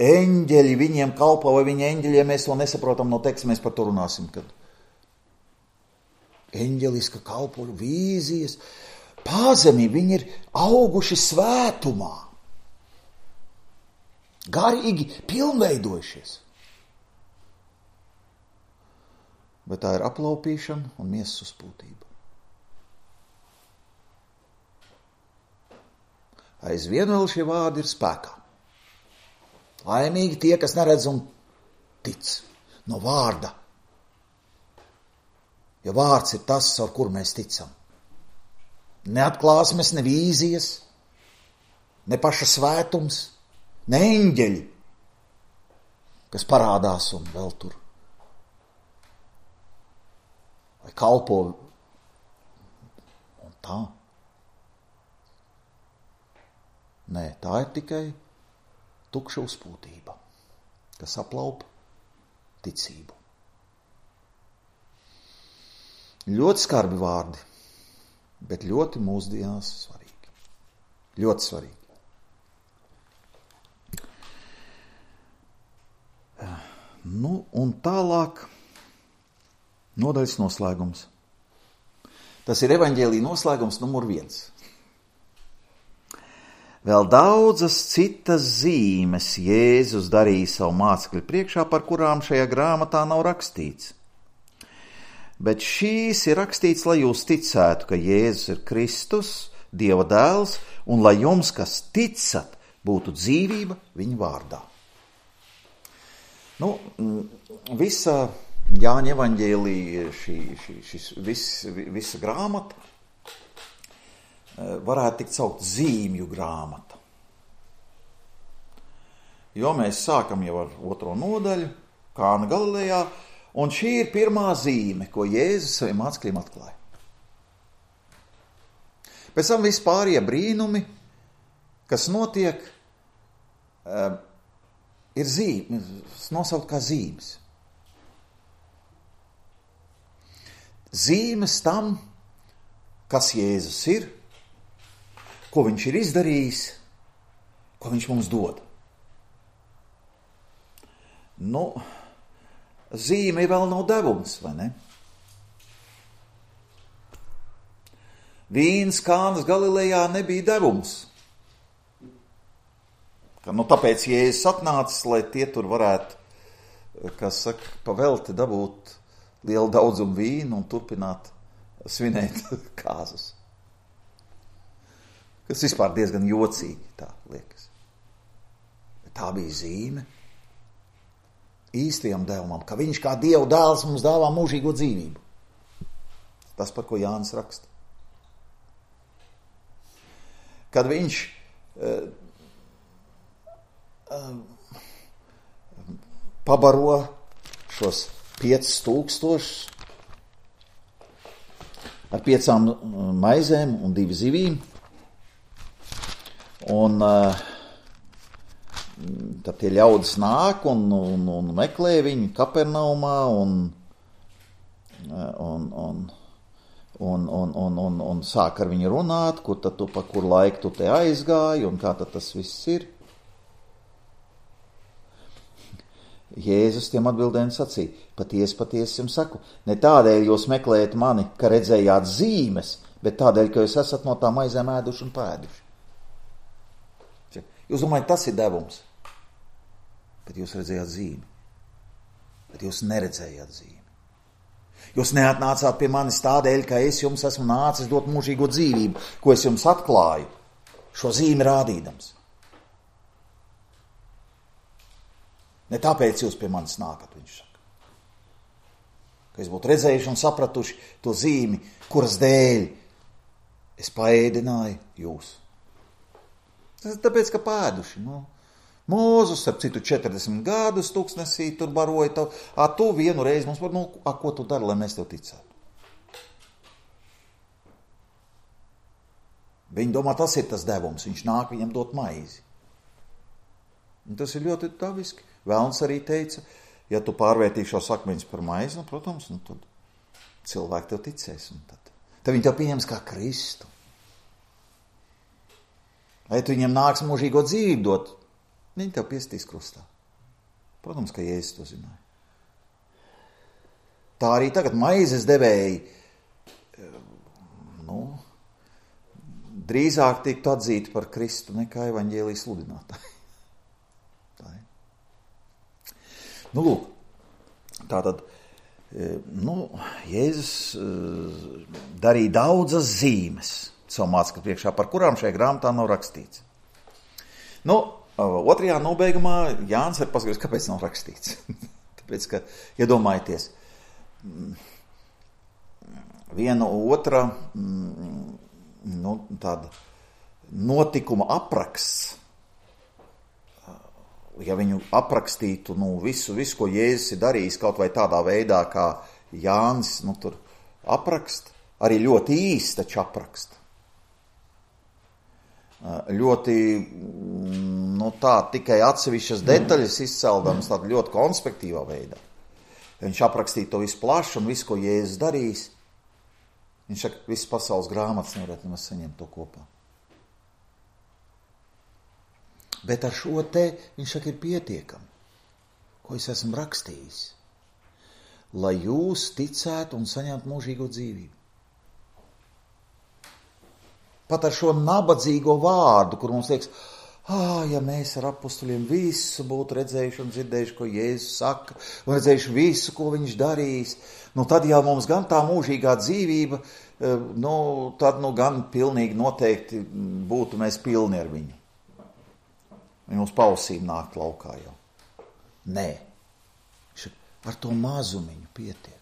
eņģeļi viņiem kalpo, vai viņi eņģeļiem, mēs to nesaprotam no teksta, mēs par to runāsim, kad eņģeliska kalpo vīzijas, pazemība, viņi ir auguši svētumā, garīgi pilnveidojušies. Bet tā ir aplaupīšana un miesas uzpūtība. Aizvien vēl šie vārdi ir spēkā. Laimīgi tie, kas neredz un tic no vārda. Jo vārds ir tas, ar kur mēs ticam. Ne atklāsmes, ne vīzijas, ne paša svētums, ne eņģeļi, kas parādās un vēl tur. Vai kalpo un tā. Nē, tā ir tikai tukša uzpūtība, kas aplaupa ticību. Ļoti skarbi vārdi, bet ļoti mūsdienās svarīgi. Ļoti svarīgi. Nu, un tālāk nodaļas noslēgums. Tas ir evaņģēlija noslēgums numur 1. Vēl daudzas citas zīmes Jēzus darīja savu mācekļu priekšā, par kurām šajā grāmatā nav rakstīts. Bet šīs ir rakstīts, lai jūs ticētu, ka Jēzus ir Kristus, Dieva dēls, un lai jums, kas ticat, būtu dzīvība viņa vārdā. Nu, visa Jāņa evaņģēlija, visa grāmata varētu tikt saukt zīmju grāmata. Jo mēs sākam jau ar 2. nodaļu, Kāna Galilejā, un šī ir pirmā zīme, ko Jēzus saviem mācekļiem atklāja. Pēc tam vispārējie brīnumi, kas notiek, ir zīmes, nosaukt kā zīmes. Zīmes tam, kas Jēzus ir, ko viņš ir izdarījis, ko viņš mums dod. Nu, zīme vēl nav devums, vai ne? Vīns Kānas Galilejā nebija devums. Tāpēc Jēzus atnācis, lai tie tur varētu, kas saka, pavelti dabūt lielu daudzumu vīnu un turpināt svinēt kāzas. Kas vispār diezgan jocīgi, tā liekas. Bet tā bija zīme īstajam devumam, ka viņš kā Dieva dēls mums dāvā mūžīgo dzīvību. Tas, par ko Jānis raksta. Kad viņš pabaro šos 5000 ar 5 maizēm un 2 zivīm. Un tad tie ļaudis nāk un meklē viņu Kapernaumā un sāk ar viņu runāt, kur tad pa kur laiku tu te aizgāji un kā tad tas viss ir. Jēzus tiem atbildēja sacīja, patiesi jums saku, ne tādēļ jūs meklējat mani, ka redzējāt zīmes, bet tādēļ, ka jūs esat no tām maizēm ēduši un pēduši. Jūs domājat, tas ir devums, bet jūs redzējāt zīmi, bet jūs neredzējāt zīmi. Jūs neatnācāt pie manis tādēļ, ka es jums esmu nācis dot mūžīgo dzīvību, ko es jums atklāju, šo zīmi rādīdams. Ne tāpēc jūs pie manis nākat, viņš saka. Ka es būtu redzējuši un sapratuši to zīmi, kuras dēļ es paēdināju jūs. Tas ir tāpēc, ka pēduši. Mūzus, ap citu 40 gadus tūkstnesī tur baroja tavu. Tu vienu reizi mums var, ko tu dari, lai mēs tev ticētu? Viņi domā, tas ir tas devums. Viņš nāk viņam dot maizi. Un tas ir ļoti dabiski. Velns arī teica, ja tu pārvērtīsi šo akmeņus par maizi, protams, tad cilvēki tev ticēs. Tad viņi tev pieņems kā Kristu. Vai tu viņiem nāks mūžīgo dzīvību dot, viņi tev piestīs krustā. Protams, ka Jēzus to zināja. Tā arī tagad maizes devēji drīzāk tiek atzīti par Kristu nekā evaņģēlijas sludinātāji. Lūk, tātad, Jēzus darīja daudzas zīmes savu mācekļu priekšā, par kurām šajā grāmatā nav rakstīts. Otrajā nobeigumā Jānis ir paskaidrojis, kāpēc nav rakstīts. Tāpēc, ka, iedomājieties, viena otra, tāda notikuma apraksts, ja viņu aprakstītu visu, ko Jēzus ir darījis kaut vai tādā veidā, kā Jānis tur apraksta, arī ļoti īsti taču apraksta. Ļoti, tā tikai atsevišķas detaļas izceldams tādā ļoti konspektīvā veidā. Viņš aprakstīja to visu plašu un visu, ko Jēzus darījis, Viņš saka, visas pasaules grāmatas nevarētu nemaz saņemt to kopā. Bet ar šo te, viņš saka, ir pietiekami, ko es esmu rakstījis, lai jūs ticētu un saņemtu mūžīgo dzīvību. Pat ar šo nabadzīgo vārdu, kur mums liekas, ja mēs ar apustuļiem visu būtu redzējuši un dzirdējuši, ko Jēzus saka, un redzējuši visu, ko viņš darīs, tad jau mums gan tā mūžīgā dzīvība, tad gan pilnīgi noteikti būtu mēs pilni ar viņu. Viņi mums pausīm nākt laukā jau. Nē, ar to mazumiņu pietiek.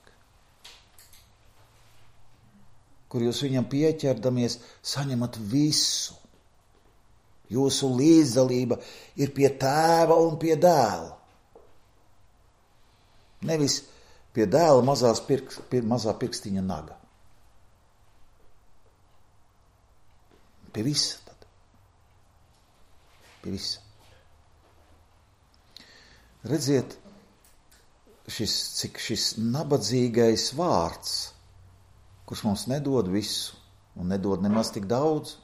Kur jūs viņam pieķerdamies, saņemat visu. Jūsu līdzdalība ir pie tēva un pie dēla. Nevis pie dēla mazā pirkstiņa naga. Pie visa tad. Pie visa. Redziet, cik šis nabadzīgais vārds, kurš mums nedod visu un nedod nemaz tik daudz,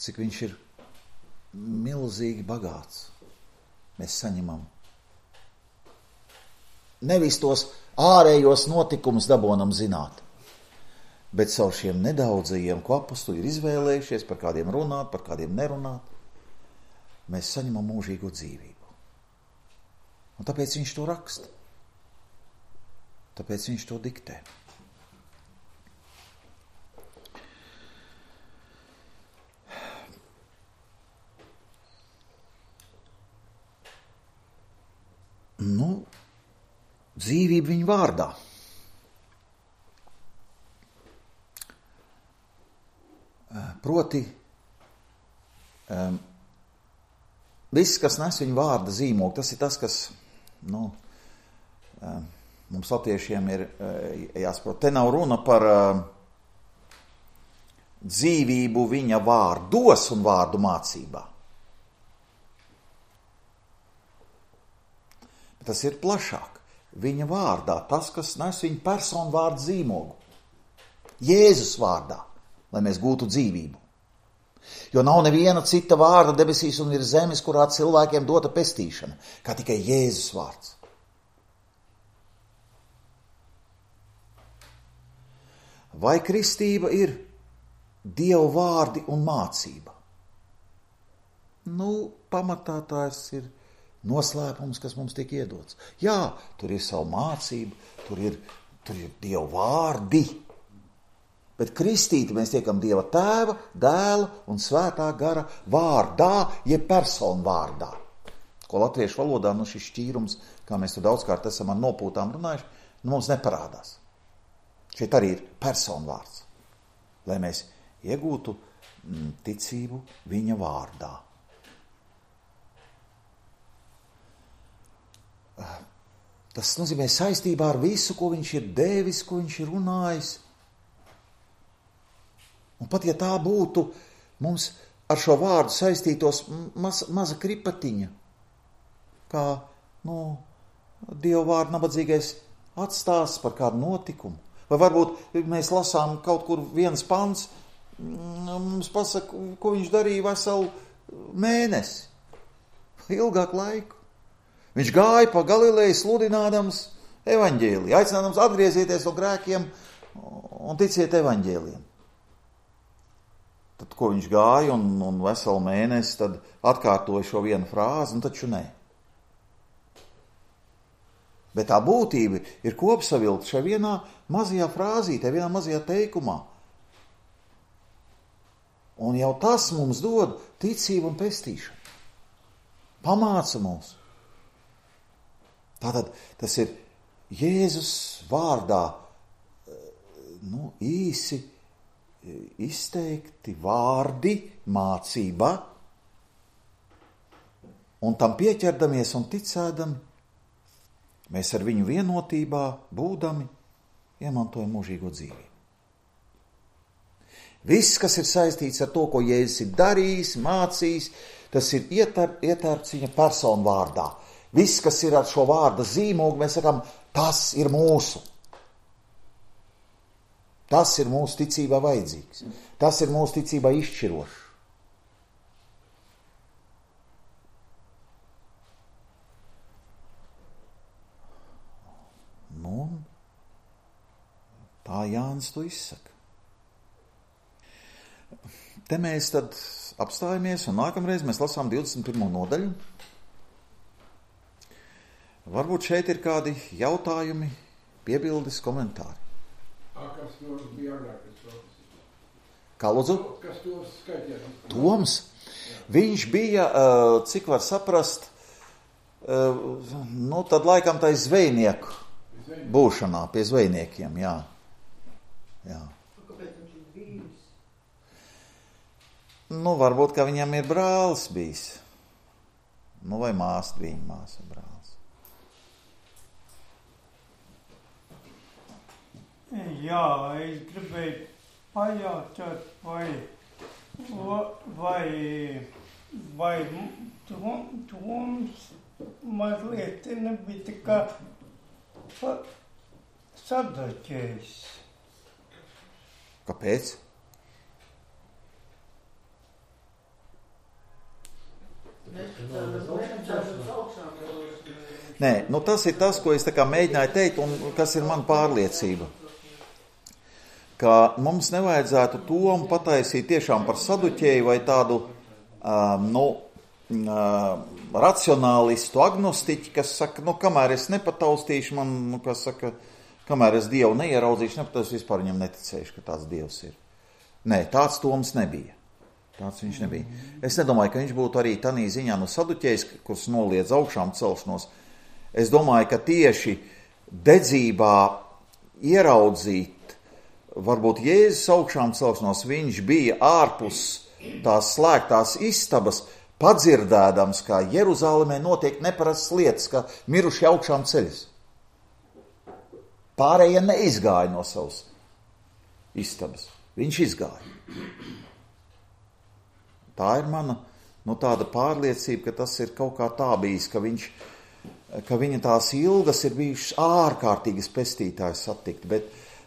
cik viņš ir milzīgi bagāts. Mēs saņemam. Nevis tos ārējos notikumus dabonam zināt, bet savu šiem nedaudzajiem, ko apustuļi ir izvēlējušies, par kādiem runāt, par kādiem nerunāt, mēs saņemam mūžīgo dzīvību. Un tāpēc viņš to raksta. Tāpēc viņš to diktē. Dzīvība viņa vārdā. Proti, viss, kas nes viņa vārda zīmogu, tas ir tas, kas, mums latviešiem ir jāsaprot. Te nav runa par dzīvību viņa vārdos un vārdu mācībā. Tas ir plašāk. Viņa vārdā, tas, kas nes viņa personu vārdu zīmogu. Jēzus vārdā, lai mēs gūtu dzīvību. Jo nav neviena cita vārda debesīs un ir zemes, kurā cilvēkiem dota pestīšana, kā tikai Jēzus vārds. Vai kristība ir Dieva vārdi un mācība? Pamatā tās ir noslēpums, kas mums tiek iedots. Jā, tur ir savu mācību, tur ir Dieva vārdi. Bet kristīti mēs tiekam Dieva tēva, dēla un svētā gara vārdā, jeb personu vārdā. Ko latviešu valodā, šis šķīrums, kā mēs to daudzkārt esam ar nopūtām runājuši, mums neparādās. Šeit arī ir personu vārds, lai mēs iegūtu ticību viņa vārdā. Tas nozīmē saistībā ar visu, ko viņš ir devis, ko viņš ir runājis. Un pat ja tā būtu mums ar šo vārdu saistītos maza kripatiņa, kā, Dieva vārdu nabadzīgais atstās par kādu notikumu. Vai varbūt mēs lasām kaut kur viens pants, mums pasaka, ko viņš darīja veselu mēnesi, ilgāku laiku. Viņš gāja pa Galileju sludinādams evaņģēliju, aicinādams atgriezieties no grēkiem un ticiet evaņģēlijam. Tad, ko viņš gāja un veselu mēnesi, tad atkārtoja šo vienu frāzi, taču nē. Bet tā būtība ir kopsavilkt šajā vienā mazajā frāzītē, vienā mazajā teikumā. Un jau tas mums dod ticību un pestīšanu. Pamāca mūs. Tātad tas ir Jēzus vārdā īsi izteikti vārdi, mācība, un tam pieķerdamies un ticēdami, mēs ar viņu vienotībā būdami iemantojam mūžīgo dzīvību. Viss, kas ir saistīts ar to, ko Jēzus ir darījis, mācījis, tas ir ietērpts viņa personu vārdā. Viss, kas ir ar šo vārda zīmogu, mēs sakām, tas ir mūsu. Tas ir mūsu ticībā vajadzīgs. Tas ir mūsu ticībā izšķirošs. Nu, tā Jānis to izsaka. Te mēs tad apstājamies un nākamreiz mēs lasām 21. nodaļu. Varbūt šeit ir kādi jautājumi, piebildes, komentāri. Kas Toms bija agrākais profesors? Kā lūdzu? Kas Toms skaitījās? Toms? Viņš bija, cik var saprast, nu tad laikam tai zvejnieku būšanā, pie zvejniekiem, jā. Kāpēc viņš ir bijis? Nu, varbūt, ka viņam ir brālis bijis. Nu, vai māsa, viņa māsa brālis. Jā, es gribēju pajautāt, vai Toms mazliet nebija tā kā saduķējis. Kāpēc? Nē, nu tas ir tas, ko es tā kā mēģināju teikt un kas ir man pārliecība. Ka mums nevajadzētu Tomu pataisīt tiešām par saduķēju vai tādu racionālistu, agnostiķi, kas saka, nu, kamēr es nepataustīšu, man, nu, kas saka, kamēr es Dievu neieraudzīšu, es vispār viņam neticēšu, ka tāds Dievs ir. Nē, tāds Toms nebija. Tāds viņš nebija. Es nedomāju, ka viņš būtu arī tanī ziņā no saduķējs, kurš noliedz augšām celšanos. Es domāju, ka tieši dedzībā ieraudzīt, varbūt Jēzus augšām celšanos, viņš bija ārpus tās slēgtās istabas, padzirdēdams, kā Jeruzālēmē notiek neparastas lietas, ka miruši augšām ceļas. Pārējie neizgāja no savas istabas. Viņš izgāja. Tā ir mana tāda pārliecība, ka tas ir kaut kā tā bijis, ka viņa tās ilgas ir bijušas ārkārtīgas pestītājas satikt,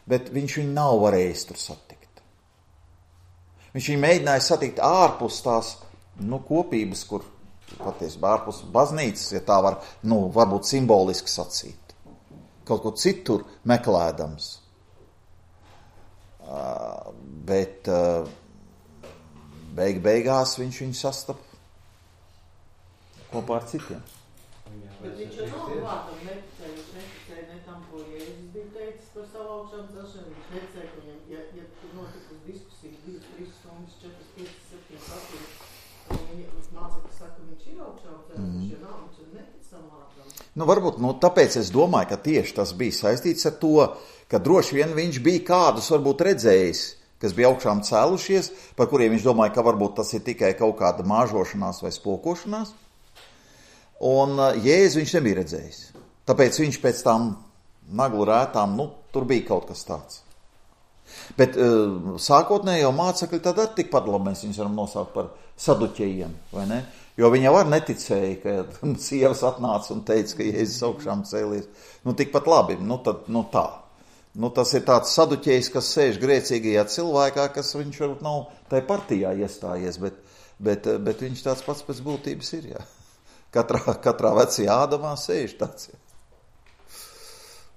bet viņš viņu nav varējis tur satikt. Viņš viņu mēģināja satikt ārpus tās kopības, kur patiesībā ārpus baznīcas, ja tā var, varbūt simboliski sacīt. Kaut ko citur meklēdams. Bet beigās viņš viņu sastapa kopā ar citiem. Bet viņš jau nav vārtam neticēja, viņš neticēja ne tam, ko Jēzus bija teicis par savu augšām celšanu, viņš neticēja, ka viņam, ja tur notikus diskusijas 2, 3 stundas, 4, 5, 7, 8, viņa mācekļi saka, ka viņš ir augšām celšanu, viņš jau nav, viņš jau netic tam vārtam. Varbūt, tāpēc es domāju, ka tieši tas bija saistīts ar to, ka droši vien viņš bija kādus varbūt redzējis, kas bija augšām cēlušies, par kuriem viņš domāja, ka varbūt tas ir tikai kaut kāda māžošanās vai spokošanās. Un Jēzu viņš nebija redzējis. Tāpēc viņš pēc tām naglu rētām, tur bija kaut kas tāds. Bet sākotnējo mācekļi tad arī tikpat labi mēs viņus varam nosaukt par saduķējiem, vai ne? Jo viņi jau neticēja, ka sievas atnāca un teica, ka Jēzus augšām cēlies. Tikpat labi, tā. Tas ir tāds saduķējs, kas sēž grēcīgajā cilvēkā, kas viņš varbūt nav tai partijā iestājies, bet viņš tāds pats pēc būtības ir, jā. Katrā vecajā Ādamā sēž tāds.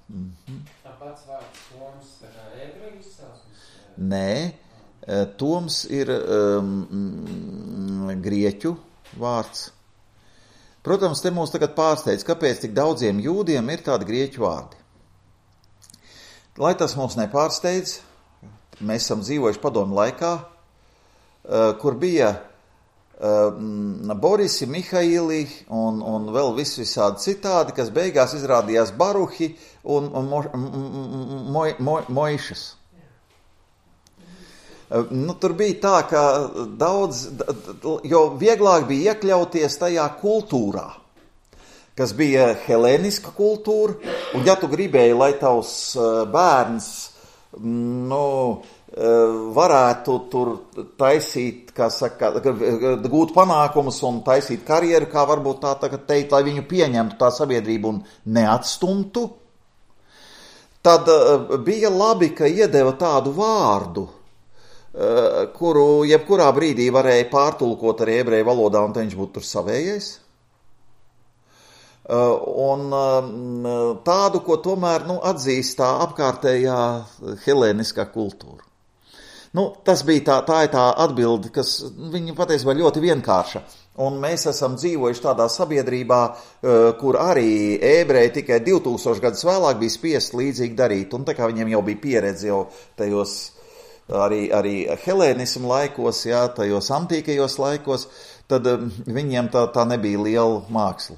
Tāpats vārds Toms, tā kā ebreju izcelsmes? Nē, Toms ir grieķu vārds. Protams, te mūs tagad pārsteidz, kāpēc tik daudziem jūdiem ir tādi grieķu vārdi. Lai tas mūs nepārsteidz, mēs esam dzīvojuši padomu laikā, kur bija Borisi, Mihaili un vēl visādi citādi, kas beigās izrādījās Baruhi un Moišas. Tur bija tā, ka jo vieglāk bija iekļauties tajā kultūrā, kas bija helēniska kultūra, un ja tu gribēji, lai tavs bērns, varētu tur taisīt, kā saka, gūt panākumus un taisīt karjeru, kā varbūt tā tagad teikt, lai viņu pieņemtu tā sabiedrību un neatstumtu, tad bija labi, ka iedeva tādu vārdu, kuru jebkurā brīdī varēja pārtulkot arī ebreju valodā, un viņš būtu tur savējais. Un tādu, ko tomēr atzīst tā apkārtējā helēniskā kultūra. Tas bija tā ir tā atbilde, kas viņa patiesībā ļoti vienkārša. Un mēs esam dzīvojuši tādā sabiedrībā, kur arī ebreji tikai 2000 gadus vēlāk bija spiest līdzīgi darīt. Un tā kā viņiem jau bija pieredze jau tajos arī helēnismu laikos, jā, tajos antīkajos laikos, tad viņiem tā nebija liela māksla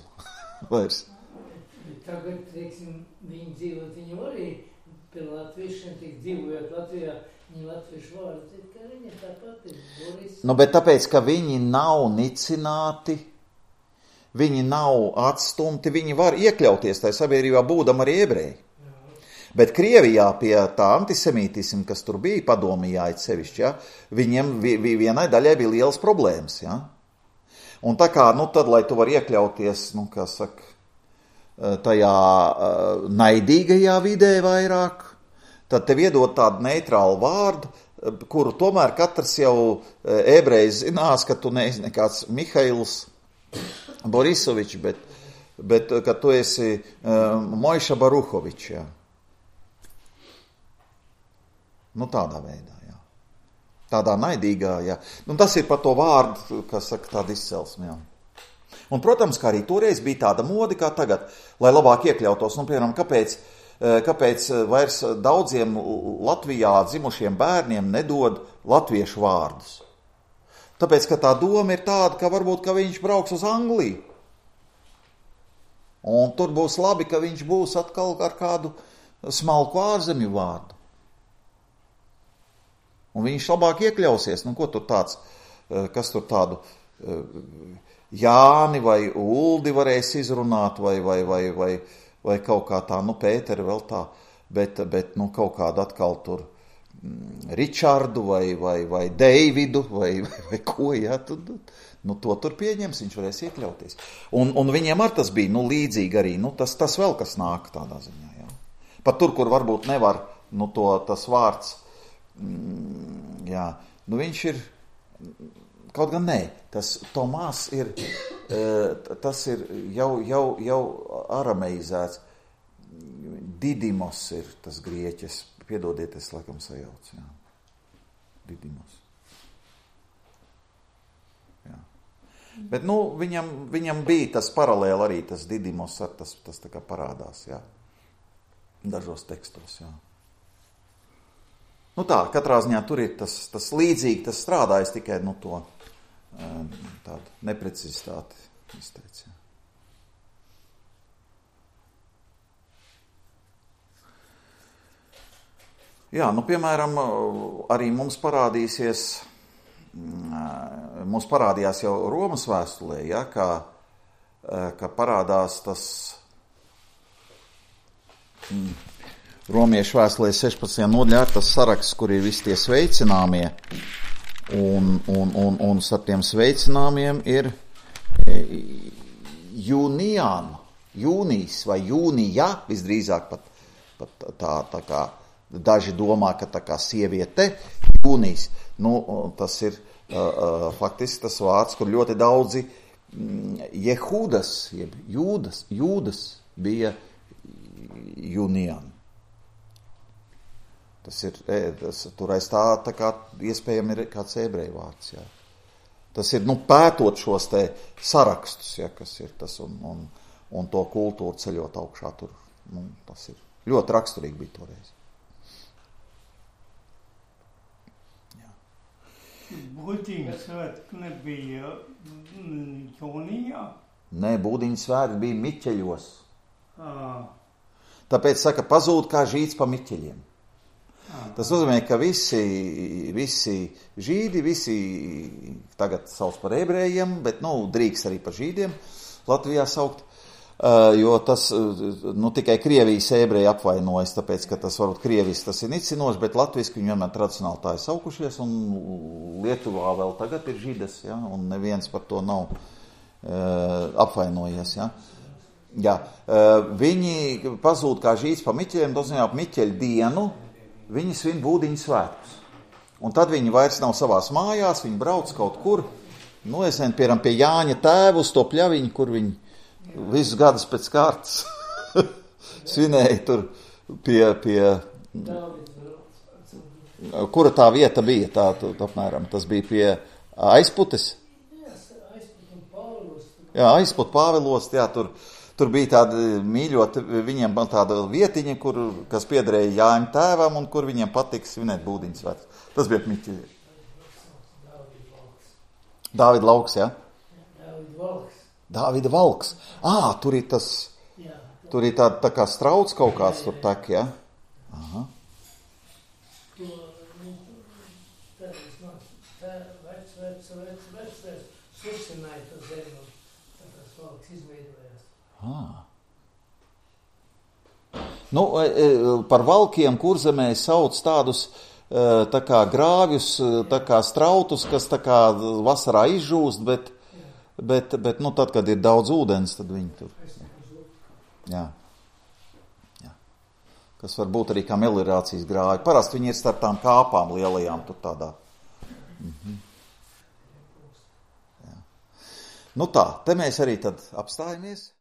vairs. Tagad, teiksim, viņi dzīvot, viņi arī pie latviešiem, tik dzīvojot Latvijā, viņi latviešu vārdu, ka viņi tāpat ir Boris. Bet tāpēc, ka viņi nav nicināti, viņi nav atstumti, viņi var iekļauties tajā sabiedrībā, būdam arī ebreji. Bet Krievijā pie tā antisemītisma, kas tur bija padomījā, sevišķi, ja, viņiem vienai daļai bija lielas problēmas. Ja. Un tā kā, tad, lai tu var iekļauties, kā saka, tajā naidīgajā vidē vairāk, tad tev iedod tādu neitrālu vārdu, kuru tomēr katrs jau ebrejs zinās, ka tu neesi nekāds Mihails Borisovičs, bet ka tu esi Mojša Baruhovičs, jā. Tādā veidā, jā. Tādā naidīgā, jā. Tas ir par to vārdu, kas saka tāda izcelsme, jā. Un, protams, kā arī toreiz bija tāda mode kā tagad, lai labāk iekļautos. Piemēram, kāpēc vairs daudziem Latvijā dzimušiem bērniem nedod latviešu vārdus? Tāpēc, ka tā doma ir tāda, ka varbūt, ka viņš brauks uz Angliju. Un tur būs labi, ka viņš būs atkal ar kādu smalku ārzemju vārdu. Un viņš labāk iekļausies. Ko tur tāds, kas tur tādu Jāni vai Uldi varēs izrunāt, vai kaut kā tā, Pēteri vēl tā, bet kaut kādu atkal tur Ričardu vai Deividu vai ko, jā, to tur pieņems, viņš varēs iekļauties. Un viņiem ar tas bija, līdzīgi arī, tas vēl kas nāk tādā ziņā, jā. Pat tur, kur varbūt nevar, tas vārds, jā, viņš ir, kaut gan nē, tas Tomās ir, tas ir jau arameizēts, Didimos ir tas grieķis, piedodiet, es laikam sajaucu, jā, Didimos. Jā. Bet, viņam bija tas paralēli arī, tas Didimos, tas tā kā parādās, jā, dažos tekstos, jā. Tā, katrā ziņā tur ir tas līdzīgi, tas strādājas tikai to tādu neprecizitāti izteic. Jā, piemēram, arī mums parādījās jau Romas vēstulē, ja, ka parādās tas Romiešu vēstulē 16. nodaļā tas saraksts, kur ir visi tie sveicināmie, un starp tiem sveicināmiem ir jūnijas vai jūnija, visdrīzāk pat tā kā daži domā, ka tā kā sieviete, jūnijas. Tas ir faktiski tas vārds, kur ļoti daudzi Jehūdas, jeb jūdas bija jūnijāni. Tur aiz tā kā iespējami ir kāds ebreju vārds, jā. Tas ir, pētot šos te sarakstus, ja, kas ir tas, un to kultūru ceļot augšā tur, tas ir ļoti raksturīgi bija toreiz. Jā. Būdiņu svētki nebija jūnijā? Nē, būdiņu svētki bija Miķeļos. Tāpēc saka, pazūd kā žīds pa Miķeļiem. Tas nozīmē, ka visi žīdi, visi tagad sauc par ebrejiem, bet, drīkst arī par žīdiem Latvijā saukt, jo tas, tikai Krievijas ebreji apvainojas, tāpēc, ka tas varbūt Krievijas tas ir nicinoši, bet latviski viņi vienmēr tradicionāli tā ir saukušies, un Lietuvā vēl tagad ir žīdes, ja, un neviens par to nav apvainojies, ja. Jā, viņi pazūd kā žīts pa Miķeļiem, nozīmē ap Miķeļu dienu, viņi svin Būdiņu svētkus. Un tad viņi vairs nav savās mājās, viņi brauc kaut kur, nu, es nezinu, piemēram, pie Jāņa tēva uz to pļaviņu, kur viņi visus gadus pēc kārtas svinēja tur pie kura tā vieta bija, tā apmēram, tas bija pie Aizputes? Jā, Aizput Pāvilos, jā, tur bija tāda mīļota, viņiem tāda vietiņa, kas piederēja Jāņa tēvam un kur viņiem patika svinēt Būdiņu svētkus. Tas bija Miķeļi. Dāvida lauks, jā? Dāvida valks. Tur ir tas, tur ir tā kā strauts kaut kāds tur tek, jā? Aha. Nu, par valkiem Kurzemē sauc tādus tā kā grāvjus, tā kā strautus, kas tā kā vasarā izžūst, bet nu, tad, kad ir daudz ūdens, tad viņi tur. Jā. Kas var būt arī kā meliorācijas grāvi. Parasti viņi ir starp tām kāpām lielajām tur tādā. Jā. Nu tā, te mēs arī tad apstājamies.